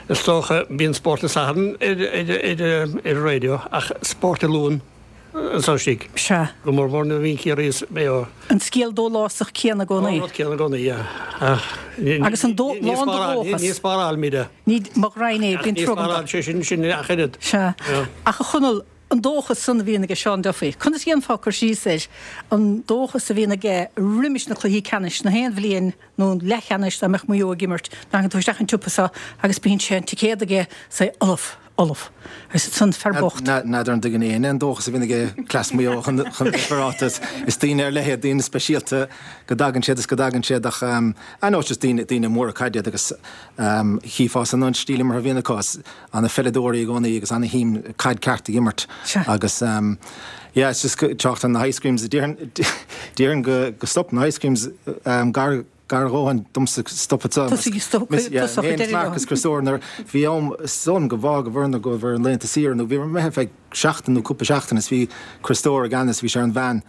is dócha, bíonn Spórt an Sathairn ar an raidió ach Spórt an Luain anseo istigh. Sea. Go mór mór nuair a bhíonn Ciarraí is Maigh Eo. An scéal dólásach céanna i gcónaí. An rud céanna i gcónaí, yeah. Ach Agus an dó, lán de dhóchas. Ní spárálaimid é. Ní, mo ghraidhin é, bíonn Ní trua agam dó. spáráil sé sin sin ach oiread. Sea. Ach a Chonaill, an dóchas san a bhíonn aige Seán Duffy, conas a dhéanfá cur síos air, an dóchas a bhíonn aige roimis na cluichí ceannais, na haon bhliain nó an leathcheannais dá mbeadh Maigh Eo ag imirt, tagann tú isteach an tsiopa seo agus bíonn sé an ticéad aige 's é ullamh. Ullamh. Agus ansan fear bocht. N'fheadar an dtuigeann éinne an dóchas a bhíonn aige cleas Mhaigh Eo chun bheith féaráilte. Is daoine ar leith iad, daoine speisialta go dtagann siad is go dtagann siad ach I know it's just daoine, daoine móra caide iad agus chífeá san an stíl imeartha a bhíonn acu, is ana-pheileadóirí i gcónaí agus ana-shuim caid ceart ag imirt agus yeah it's just trácht ar na ice creams, déarfainn, déarfainn go, go stop na ice creams gar Gar a dhóthain domsa stopadh sa. Tosaigh stop tosach ag deireadh leo. Marcus Criostóir nuair bhí am is dóigh liom go bhfág an bhfoireann go raibh ar laethanta saoire nó bhí imithe ar feadh seachtain nó cúpla seachtain is bhí Criostóir i gceannas bhí sé ar an veain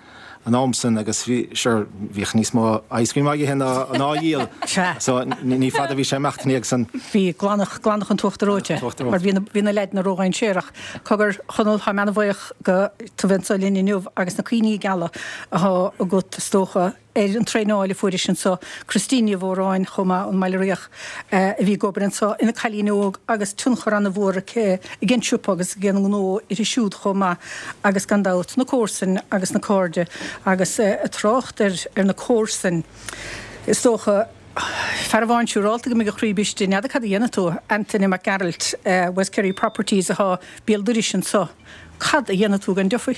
an am san agus bhí sure bhíodh níos mó ice cream á ithe ná á dhíol so ní fada bhí sé imeacht ina dhiaidh san. Bhí glanadh glanadh an t-uachtar reoite mar bhí na bhí na leaideanna ródhainséarach. Cogar Chonall táim ana-bhuíoch go tú bheith anseo linn inniu agus na cuimhní geala athá agat is dócha ar an traenáil a fuairis anseo, Christine Ní Mhóráin chomh maith ón mBaile Riach a bhí ag obair anseo ina cailín óg agus tionchar ana-mhór aici ag an siopa agus ag an ngnó uirthi siúd chomh maith agus gan dabht na comharsain agus na cairde agus ag trácht ar ar na comharsain is dócha fear amháin siúrálta go mbeidh a chroí briste n'fheadar cad a dhéanfaidh tú Antaine Mac Gearailt West Kerry Properties atá béal dorais anseo cad a dhéanfaidh tú gan Duffy?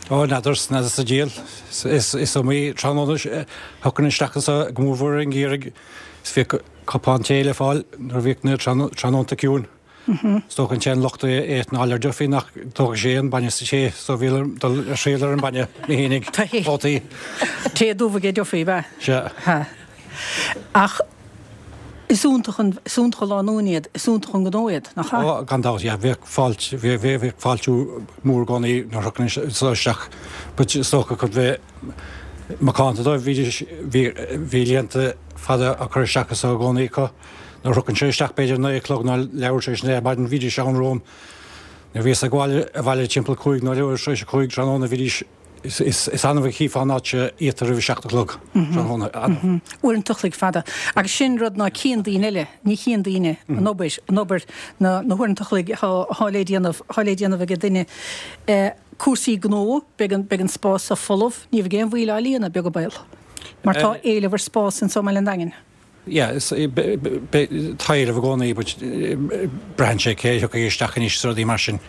Ó, n'fheadar, n'fheadar sa diabhal. Is iomaí tráthnóna a thiocfainn isteach anso go mórmhór i ngeimhreadh is bhíodh cupán tae le fáil nuair a bhíodh na tráthnónta ciúin. Is dócha an t-aon locht a fhéadfainn a fháil ar Duffy nach dtógfadh sé aon bainne sa tae so bhí orm dul a thriail ar an bainne mé fhéinig, babhtaí. Tae dubh aige Duffy, ab ea? Sea. Ach is iontach an, is iontach an lánúin iad, is iontach an gnó iad, nach ea? Ó, gan dabht, yeah. Bheadh fáilte, bheadh fáiltiú mór i gcónaí nuair a thiocfainn anso isteach. But is dócha chun bheith macánta dóibh, bhídís, bhí, bhí líonta fada á cur isteach anso i gcónaí acu. Nuair a thiocfainnse isteach b'fhéidir 9 a chlog nó leathuair tar éis a 9 ar maidin, bhídís ann romham. Nuair a bhíos ag gabháil abhaile timpeall 5 nó leathuair tar éis a 5 tráthnóna, bhídís, Is annamh a chífeá an áit seo iata roimh a 7 a chlog tráthnóna. Annamh. Uaireanta a chloig fada. Agus sin rud ná cíonn daoine eile, ní chíonn daoine an obair, an obair, na huaireanta a chloig athá le déanamh, athá le déanamh ag duine. Cúrsaí gnó, beidh an, beidh an spás seo folamh, ní bheidh aon mhoill á líonadh, beag an baol. Mar tá éileamh ar spás anso i mBaile an Daingin. Yeah, tá éileamh i gcónaí but braitheann sé cé a thiocfaidh isteach anois is rudaí mar sin.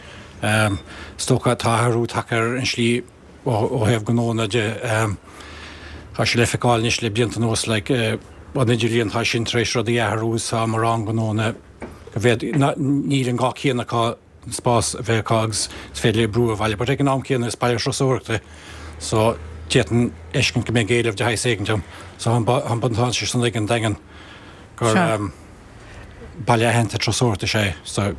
Is dócha tá athrú tagtha ar an slí ó thaobh gnónna de. Tá sé le feiceáil anois le blianta anuas like an idirlíon tá sin tar éis rudaí a athrú is tá mórán gnónna go bhféad, níl an gá céanna acu an spás a bheith acu agus is féidir leo oibriú ó bhaile. But ag an am céanna is baile turasóireachta é so d'fhéadfainn a fheiscint go mbeidh éileamh de shaghas éigint ann. So tá an buntáiste san ag an Daingean gur baile aitheanta turasóireachta is ea é so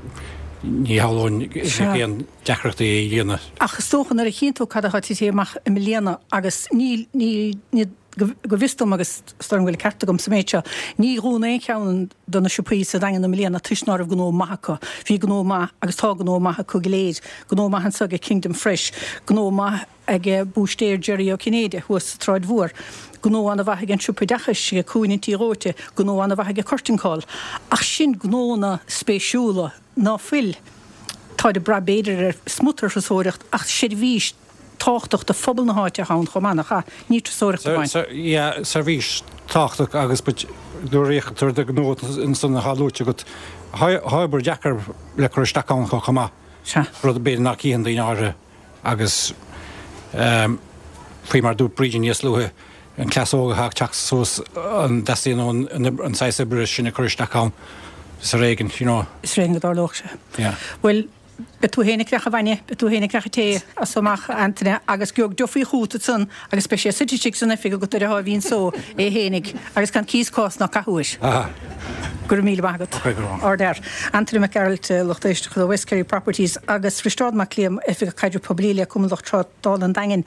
ní shamhlóinn go mbeadh aon deacrachtaí é a líonadh. Ach is dócha nuair a chíonn tú cad atá tite amach i mbliana agus níl, níl, níl, Go bhfios dom, agus is dóigh liom go bhfuil an ceart agam sa méid seo, ní dhún aon cheann de na siopaí sa Daingean i mbliana toisc ná raibh gnó maith acu. Bhí gnó maith agus tá gnó maith acu go léir. Gnó maith anso ag Kingdom Fresh, gnó maith ag búistéir Jerry Ó Cinnéide thuas sa tSráid Mhór, gnó ana-mhaith ag an Siopa Oideachais ag Cúinne an Tí Dhóite, gnó ana-mhaith ag Curtain Call. Ach sin gnónna spéisiúla ná fuil, táid ag brath b'fhéidir ar smut ar thurasóireacht ach seirbhís, tábhachtach do phobal na háite atá ann chomh maith, nach ea? Ní turasóireacht amháin. Yeah, seirbhís tábhachtach agus but nuair a fhéachann tú ar do ghnó ansan atá luaite agat, tá obair deacair le cur isteach ann chomh maith. Sea. Rud b'fhéidir nach gcífeann daoine áirithe agus faoi mar a dúirt Brídín níos luaithe, an cleas óg atá ag teacht suas, an dteastaíonn an saghas oibre sin a cur isteach ann? Is ar éigean, you know. Is ar éigean go dtarlódh sé. Yeah. Bhuel, Beidh tú féin ag creachadh bainne, beidh tú féin ag creachadh tae as so amach, a Antaine, agus gheobhaidh Duffy chugat ansan agus beidh sé suite istigh san oifig agat ar a sháimhín só é fhéinig agus gan cíos cás ná cathú air. Go raibh míle maith agat. Ardfhear. Antaine Mac Gearailt, lucht éisteachta ó West Kerry Properties agus Risteárd Mac Liam, Oifigeach Caidrimh Poiblí le Cumann Lucht Trádála an Daingin.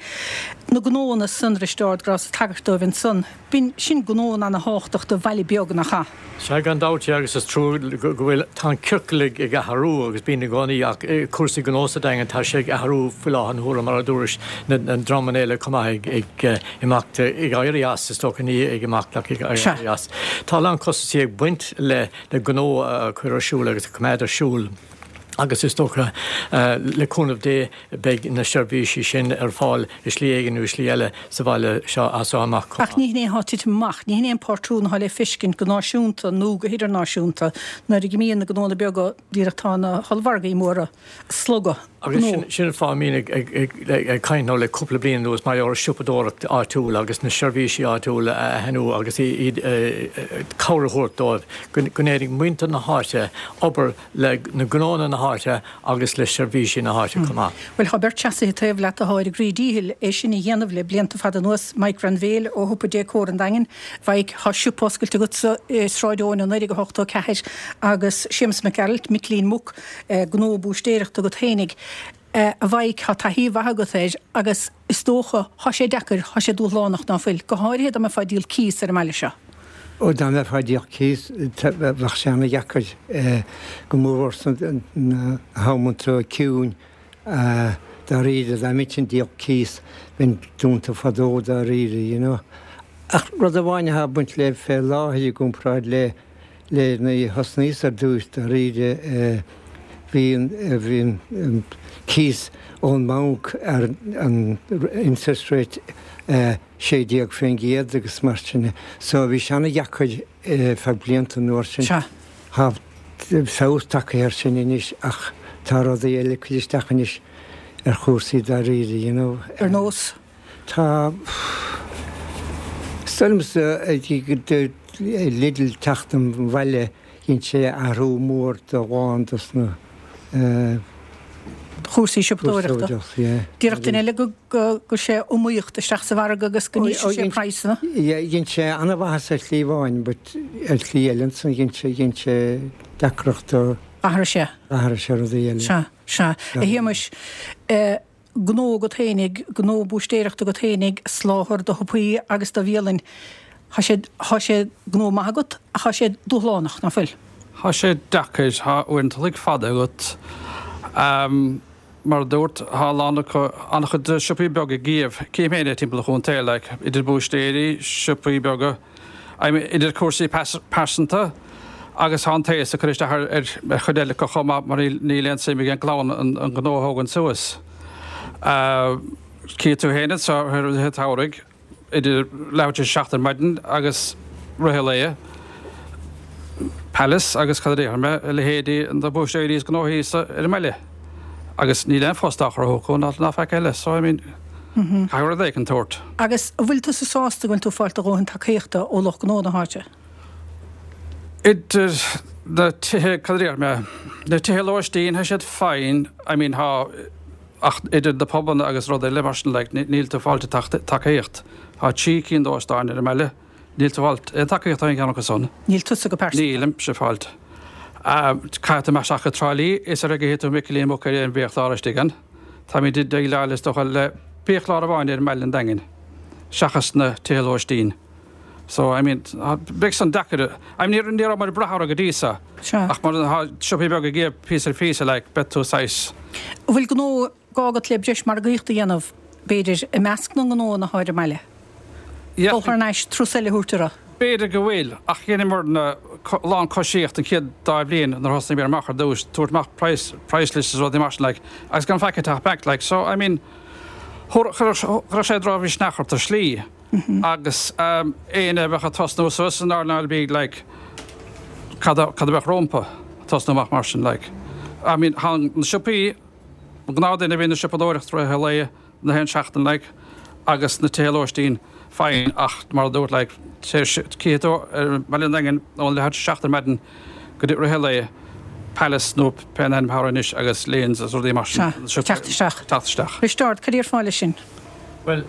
Na gnóanna san, Risteárd, go rabhas ag tagairt dóibh ansan. B'in sin gnóanna ana-thábhachtach do bhaile beag, nach ea? Sea, gan dabht, agus is trua go bhfuil, tá an ciorcal ag athrú agus bíonn i gcónaí ach cúrsaí gnó sa Daingean, tá sé ag athrú faoi láthair na huaire mar a dúrais, na dreamanna eile chomh maith ag imeacht, ag éirí as, is dócha, ní ag imeacht ach ag éirí as. Tá a lán costaisí ag baint le gnó a chur ar siúl agus a choimeád ar siúl. Agus is dócha, le cúnamh Dé, beidh na seirbhísí sin ar fáil i slí éigin nó i slí eile sa bhaile seo as seo amach chomh maith. Ach ní hin é atá ag titim amach. Ní hin é an pátrún atá le feiscint go náisiúnta nó go hidirnáisiúnta. Nuair a imíonn na gnónna beaga, díreach tá na hollmhargaí móra ag slogadh gnó. Agus sin an fáth a mbínn ag caint nó le cúpla bliain anuas mar gheall ar siopadóireacht áitiúil agus na seirbhísí áitiúla a shainiú agus iad cabhair a thabhairt dóibh go ndéanfaidh muintir na háite obair le na gnónna na háite agus le seirbhísí na háite chomh maith. Bhuel, tá beirt seasaithe taobh leat atá ar a gcroí díchill é sin a dhéanamh le blianta fada anuas, Mike Grainbhéil ó shiopa Décor an Daingin, Mhaidhc, tá siopa oscailte agatsa i Sráid Eoin ó 1984, agus Séamus Mac Gearailt, Micilín Muc, gnó búistéireachta agat fhéinig. A Mhaidhc, tá taithí mhaith agat air agus is dócha, tá sé deacair, tá sé dúshlánach, ná fuil? Go háirithe dá mbeifeá ag díol cíos ar an mbaile seo. Ó, dá mbeifeá ag díol cíos, bheadh sé ana-dheacair, go mórmhór sna hamanta ciúin, dáiríre, dá mbeinnse ag díol cíos, bheinn dúnta fadó dáiríre, you know. Ach rud amháin atá ag baint le fé láthair i gcomparáid le le nuair a thosnaíos ar dtús, dáiríre, bhí an, bhí an cíos ón mbanc ar an interest rate 16% agus mar sin de. So bhí sé ana-dheacair feadh blianta an uair sin. Sea. Tá feabhas tagtha air sin anois ach tá rudaí eile ag cur isteach anois ar chúrsaí dáiríre, you know. Ar nós? Tá, is dóigh liomsa, Lidl teacht an bhaile, dhein sé athrú mór do lán dos na. chúrsaí siopadóireachta. Déarfadh duine eile go gcuir sé iomaíocht isteach sa mhargadh agus go n-ísligh sé praghsanna. Dhein sé an-mhaitheas ar shlí amháin but ar shlí eile ansan dhein sé, dhein sé deacracht do. Athraigh sé. Athraigh sé rudaí eile. Sea, sea. A Shéamais, gnó agat fhéinig, gnó búistéireachta agat fhéinig, soláthar do shiopaí agus do bhialainn. Thá sé, thá sé gnó maith agat ach thá sé dúshlánach, ná fuil? Thá sé deacair, thá uaireanta an chloig fada agat. Mar a dúrt, thá a lán acu, an-chuid de siopaí beaga ag iamh, cím féin é timpeall an chontae, like, idir búistéirí, siopaí beaga, I mean, idir cúrsaí pearsanta agus tá an t-aos ag cur isteach ar chuid eile acu chomh maith mar níl aon suim ag an gclann an gnó a thógaint suas. Cífidh tú féin anseo i rith an tsamhraidh idir leathuair tar éis a 7 ar maidin agus rith an lae, Palace agus cad a déarfaidh mé, a leithéidí na búistéirí is gnóthaí ar an mbaile. Agus níl aon phost á chruthú acu ná ná faic eile so I mean caithfidh rud éicint tabhairt. Agus an bhfuil tusa sásta go bhfuil tú ag fáilt do dhóthain tacaíochta ó lucht gnó na háite? Idir na tithe, cad a déarfaidh mé, na tithe lóistín tá siad fine, I mean tá, ach idir na pubanna agus rud eile mar sin like níl tú ag fáilt tacaíocht. Tá 3 cinn d'óstáin ar an mbaile. Níl tú ag fáilt aon tacaíocht ó aon cheann acu san. Níl tusa go pearsanta. Nílimse ag fáilt. Caithfidh tú imeacht isteach go Trá Lí is ar gcífidh tú Micilín Muc ar aon bhiachlár istigh ann. Táimid ag déileáil is dócha le biachlár amháin ar an mbaile an Daingin, seachas na tithe lóistín. So, I mean, beidh san deacair. I mean, ní raibh muid ag brath orthu go dtí so. Ach mar tá siopaí beaga ag iamh píosa ar phíosa, like, beidh tú saghas. An bhfuil gnó gá agat le breis margaíochta a dhéanamh, b'fhéidir, i measc na ngnóanna atá ar an mbaile? Dul thar n-ais, turas eile a thabhairt orthu? B'fhéidir go bhfuil, ach dheineamarna a lán coisíocht an chéad dá bhliain nuair a thosnaíomar amach ar dtús, tabhairt amach price, price lists is rudaí mar sin like, agus gan faic ag teacht back like, so I mean, chuirfeadh sé drochmhisneach ort ar shlí agus éinne a bheadh ag tosnú suas san earnáil bídh like, cad a, cad a bheadh rompu tosnú amach mar sin like. I mean, tá na siopaí, an gnáthduine a bhíonn ag siopadóireacht rith an lae, na haon seachtain like agus na tithe lóistín fine ach mar a dúrt like cífidh tú ar Bhaile an Daingin ón leathuair tar éis a 7 ar maidin go dtí rith an lae Palace nó pé ainm atá air anois agus Lyons agus rudaí mar sin Sea, teacht isteach. Teacht isteach. Risteárd, cad a déarfá leis sin? Bhuel,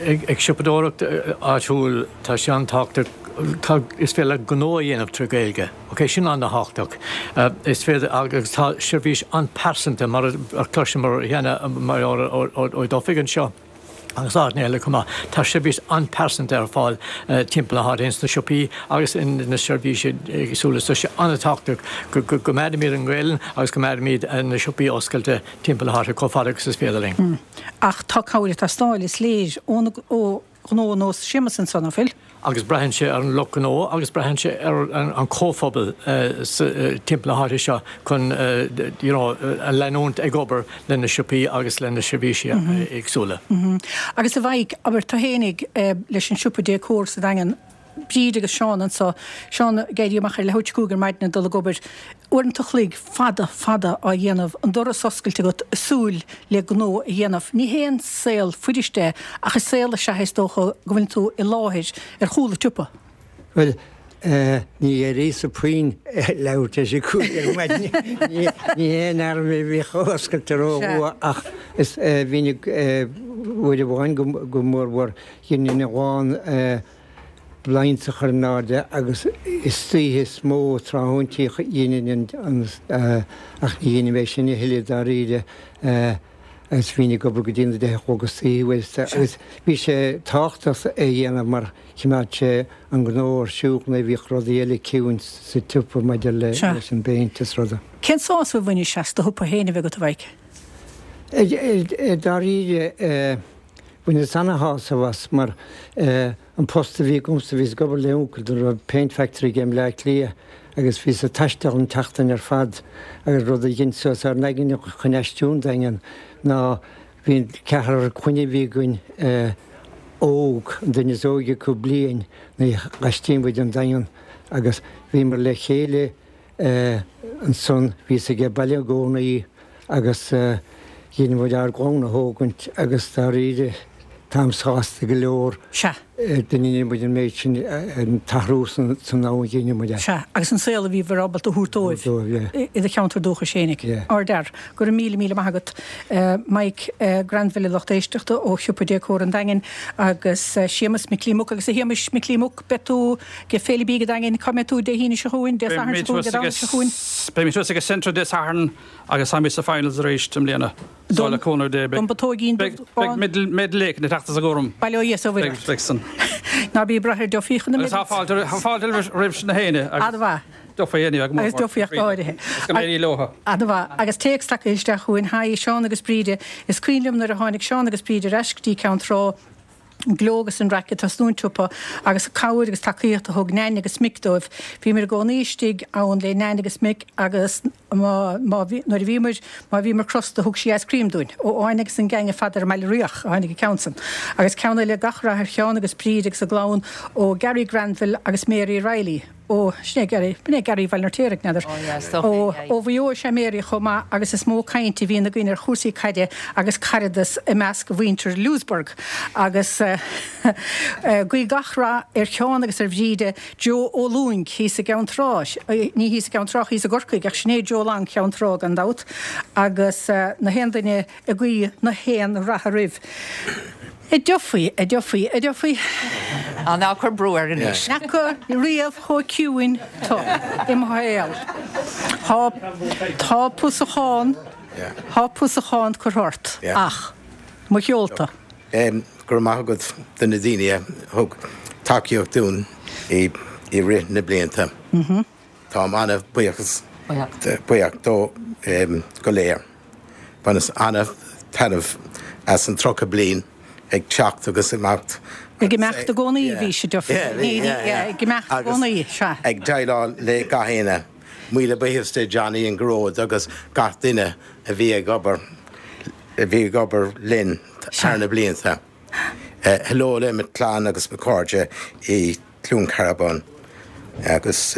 ag siopadóireacht áitiúil tá sé an-tábhachtach, tá, is féidir leat gnó a dhéanamh trí Ghaeilge. Ok, sin an-tábhachtach. Is féidir, agus tá seirbhís an-pearsanta mar a chloiseamar cheana mar ó Duffy anseo agus áiteanna eile chomh maith. Tá seirbhís an-pearsanta ar fáil timpeall na háite ins na siopaí agus in na seirbhísí éagsúla. So tá sé an-tábhachtach go gcoimeádfaimid an Ghaelainn agus go gcoimeádfaimid na siopaí oscailte timpeall na háite chomh fada agus is féidir linn. Ach tá cabhair ag teastáil, is léir, ó na, ó. ghnó ar nós Séamus anso, ná fuil? Agus braitheann sé ar an lucht gnó agus braitheann sé ar an chomhphobal timpeall na háite seo chun you know leanúint ag obair le na siopaí agus le na seirbhísí éagsúla. Agus a Mhaidhc, abair tú fhéinig leis an siopa décor sa Daingean, Bríd agus Seán anso, Seán ag éirí amach ar leathuair tar éis 5 ar maidin ag dul ag obair, uaireanta a chloig fada, fada á dhéanamh, an doras oscailte agat, ag súil le gnó a dhéanamh. Ní haon saol fuirist é ach is saol is ea é is dócha go bhfuileann tú i láthair ar chúl an tsiopa. Bhuel, ní éiríos-sa puinn leathuair tar éis a 5 ar maidin. Ní haon fhear mé a bhíodh oscailte ró-luath ach is bhínn ag, uair amháin go mórmhór, dheininn a lán blinds a chur in airde agus istoíche is mó tráthnóintí a dheininn an, ach ní dheinim é sin a thuilleadh dáiríre agus bhínn ag obair go dtí na 10 a chlog istoíche bhuel agus bhí sé tábhachtach é a dhéanamh mar chimeád sé an gnó ar siúl nuair a bhíodh rudaí eile ciúin sa tsiopa maidir leis an bpéint is rudaí. Cén sásamh a bhainis as do shiopa féin a bheith agat a Mhaidhc? Dáiríre Bhaineas ana-shásamh as mar an post a bhí agamsa, bhíos ag obair le uncail dó raibh paint factory aige i mBleá Cliath agus bhíos ag taisteal an tseachtain ar fad agus rud a dhein suas ár n-aigne chun aistriú 'on Daingean ná bhí an ceathrar clainne a bhí againn óg, an duine is óige acu bliain nuair a dh'aistrigh muid 'on Daingean agus bhíomar le chéile Ansan bhíos aige baile i gcónaí agus dhein muid ár gclann a thógaint agus dáiríre táim sásta go leor Sea. go ndein muid an méid sin, an t-athrú san am a dhein muid é. Sea, agus an saol a bhíobhair ábalta a thabhairt dóibh i do cheantar dúchais fhéinig. Yeah. Ardfhear. Go raibh míle míle maith agat Mike Granville a lucht éisteachta ó Shiopa Décor an Daingin agus Séamus Micilí Muc agus a Shéamais Micilí Muc beidh tú ag Féile Bídh an Daingin, cá mbeidh tú Dé hAoine seo chugainn, Dé Sathairn seo chugainn, Dé Domhnaigh seo chugainn? Beidh mé thuas ag an Centra Dé Sathairn agus táimid sa finals arís i mbliana. So le cúnamh Dé beidh Don bputóigín dubh bán. Beidh medal éicint ag teacht as an gcúram. Bail ó Dhia is ó Mhuire ort. Beidh san. Ná bí ag brath ar Duffy chun na Agus tá fáilte tá fáilte roimh na héinne agus An-mhaith. Duffy anyway go mór Agus Duffy ach go háirithe. Agus go n-éirí leo. An-mhaith. Agus téacs tagtha isteach chugainn, Haigh, Seán agus Bríde. Is cuimhin liom nuair a tháinig Seán agus Bríd ar ais go dtí Ceann Trá, an gleo agus an raic ag tosnú an tsiopa agus an cabhair agus tacaíocht a thug Nain agus Mick dóibh. Bhíomar i gcónaí istigh ann le Nain agus Mick agus má, má bhí, nuair a bhíomar, má bhíomar crosta thug sí ice cream dúinn. Ó Áine agus an gang ar fad ar an mBaile Riach a tháinig an ceann san. Agus ceann eile, gach rath ar Sheán agus Bríd agus a gclann ó Gary Granville agus Mary Reilly. Ó, sin é Gary, b'in é Gary Bhaile an Fheirtéaraigh, n'fheadar. Ó yeah, is dócha Ó, é, yeah. ó Mhaigh Eo is ea Mary chomh maith agus is mó caint a bhíonn againn ar chúrsaí caide agus caradas i measc mhuintir Louisburgh. Agus guí gach rath ar Sheán agus ar Bhríde, Joe Ó Lúing thíos i gCeann Trá, ní thíos i gCeann Trá, thíos i gCorcaigh, ach sin é Joe Long Cheann Trá gan dabht, agus na haon duine ag guí na haon ratha roimh. A Duffy, a Duffy, a Duffy. Á, ná cuir brú air anois. N'fheaca riamh chomh ciúin tu i mo shaol. Tá, tá pusachán, tá pusachán curtha ort, ach mo sheolta. Go raibh maith agat do na daoine a thug tacaíocht dúinn i rith na blianta. Táim an-bhuíochas, buíoch dó go léir. Bhaineas an-taitneamh as an 30 bliain ag teacht agus imeacht. Ag imeacht i gcónaí a bhí sé, Duffy. Ag imeacht i gcónaí, sea. Ag déileáil le gach éinne. Míle buíochas do Johnny and Gearóid agus gach duine a bhí ag obair, a bhí ag obair linn thar na blianta. Hello le mo chlann agus mo chairde i Cluain Cearbán agus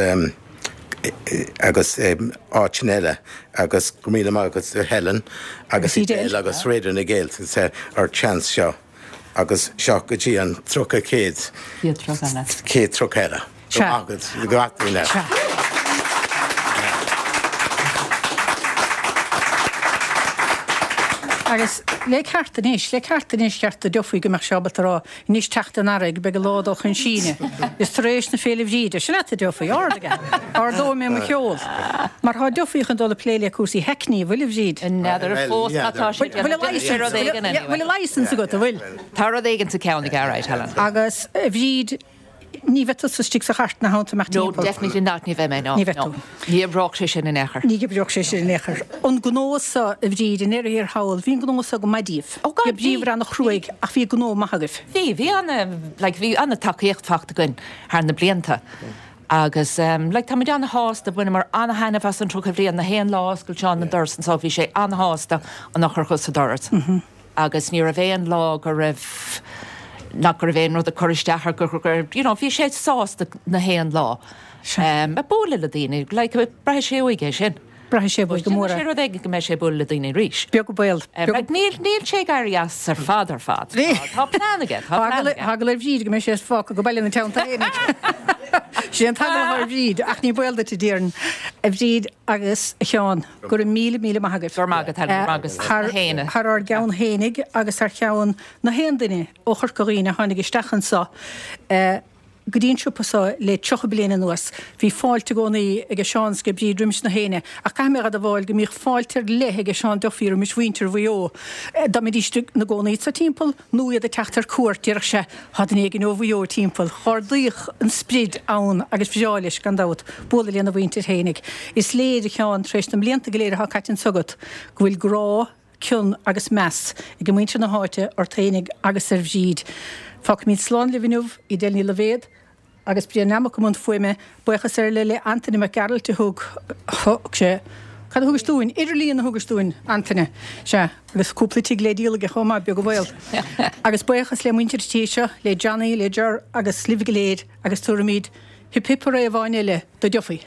agus áiteanna eile agus go raibh míle maith agat a Helen agus Edel agus Raidió na Gaeltachta ar chance seo agus seo go dtí an 30 céad chéad 30 eile. Go raibh maith agat gach duine. Agus le ceart anois, le ceart anois ceart do Duffy go mbeadh sé ábalta a rá anois teacht an earraigh, beidh an lá ag dul chun síneadh. Is tar éis na Féile Bhríde. Sin leat a Duffy, ard aige. Ardóidh mé mo cheol. Mar tá Duffy chun dul ag plé le cúrsaí hackney, an bhfuil a Bhríd? N'fheadar fós cad tá sé ag déanamh. Bhfuil rud éigin anyway. Bhfuil a license agat, an bhfuil? Tá rud éigin sa ceann aige, alright, Helen. Agus a Bhríd. Ní bheidh tusa istigh sa chairt ina theannta amach No, timpeall. definitely not, ní bheidh mé, no. Ní bheidh tú. No. Ní oibreodh sé sin in aon chor. Ní oibreodh sé sin in aon chor. An gnó so, a Bhríd, i ndeireadh thiar thall, bhí an gnó so go maith daoibh. Oh God, Bhí bhí. bríomhar ana-chruaidh ach bhí gnó maith agaibh. Bhí, bhí ana, like, bhí ana-tacaíocht fachta againn thar na blianta. Agus like táimid ana-shásta, bhaineamar ana-thaitneamh as an 30 bhliain, na haon lá a oscail Seán an doras anso bhí sé ana-shásta an eochair sa doras agus ní raibh aon lá go raibh, nach go raibh aon rud ag cur isteach air go raibh, you know, bhí sé sásta na haon lá. Ag bualadh le daoine, like braithfidh sé uaidh é sin. Braithfidh sé uaidh go mór é. Déanfaidh sé rud éigin go mbeidh sé ag bualadh le daoine arís. Beag an baol. Like níl, níl sé ag éirí as ar fad ar fad. Tá plean aige, tá plean aige. Tá eagla ar Bhríd go mbeidh sé fágtha go baile ina teannta fhéinig. Sin é an t-eagla atá ar Bhríd, ach ní baol duit, a déarfainn. A Bhríd agus a Sheáin, go raibh míle, míle maith agaibh. Go raibh maith agat, Helen, go raibh maith agat Thar, féin. thar ár gceann fhéinig agus thar cheann na haon duine ó Chorca Dhuibhne a tháinig isteach anso, go dtí an siopa so le 30 bliain anuas. Bhí fáilte i gcónaí age Seán 's age Bríd roimis na héinne, ach caithfidh mé a admháil go mbíodh fáilte ar leith age Seán Duffy roimis mhuintir Mhaigh Eo. Dá mbeidís ina gcónaí anso timpeall nó iad ag teacht ar cuairt, déarfadh sé, Tá duine éigin ó Mhaigh Eo timpeall. Dh'ardaíodh an sprid ann agus bhreá leis, gan dabht, bualadh lena mhuintir fhéinig. Is léir, a Sheáin, tar éis na mblianta go léir atá caite anso agat, go bhfuil grá, cion agus meas ag muintir na háite ort fhéinig agus ar Bhríd. Fágfaimid slán libh inniu, Edel Ní Loibhéad agus Brian Nammock i mbun fuaime. Buíochas ar leith le Antaine Mac Gearailt a thug, thug sé, cad a thugais dúinn? Idirlíon a thugais dúinn, Antaine. Sea, agus cúpla tigh le díol aige chomh maith, beag an baol. Agus buíochas le muintir an tí seo, le Johnny, le Ger agus libh go léir agus tabharfaimid hip hip hooray amháin eile do Duffy.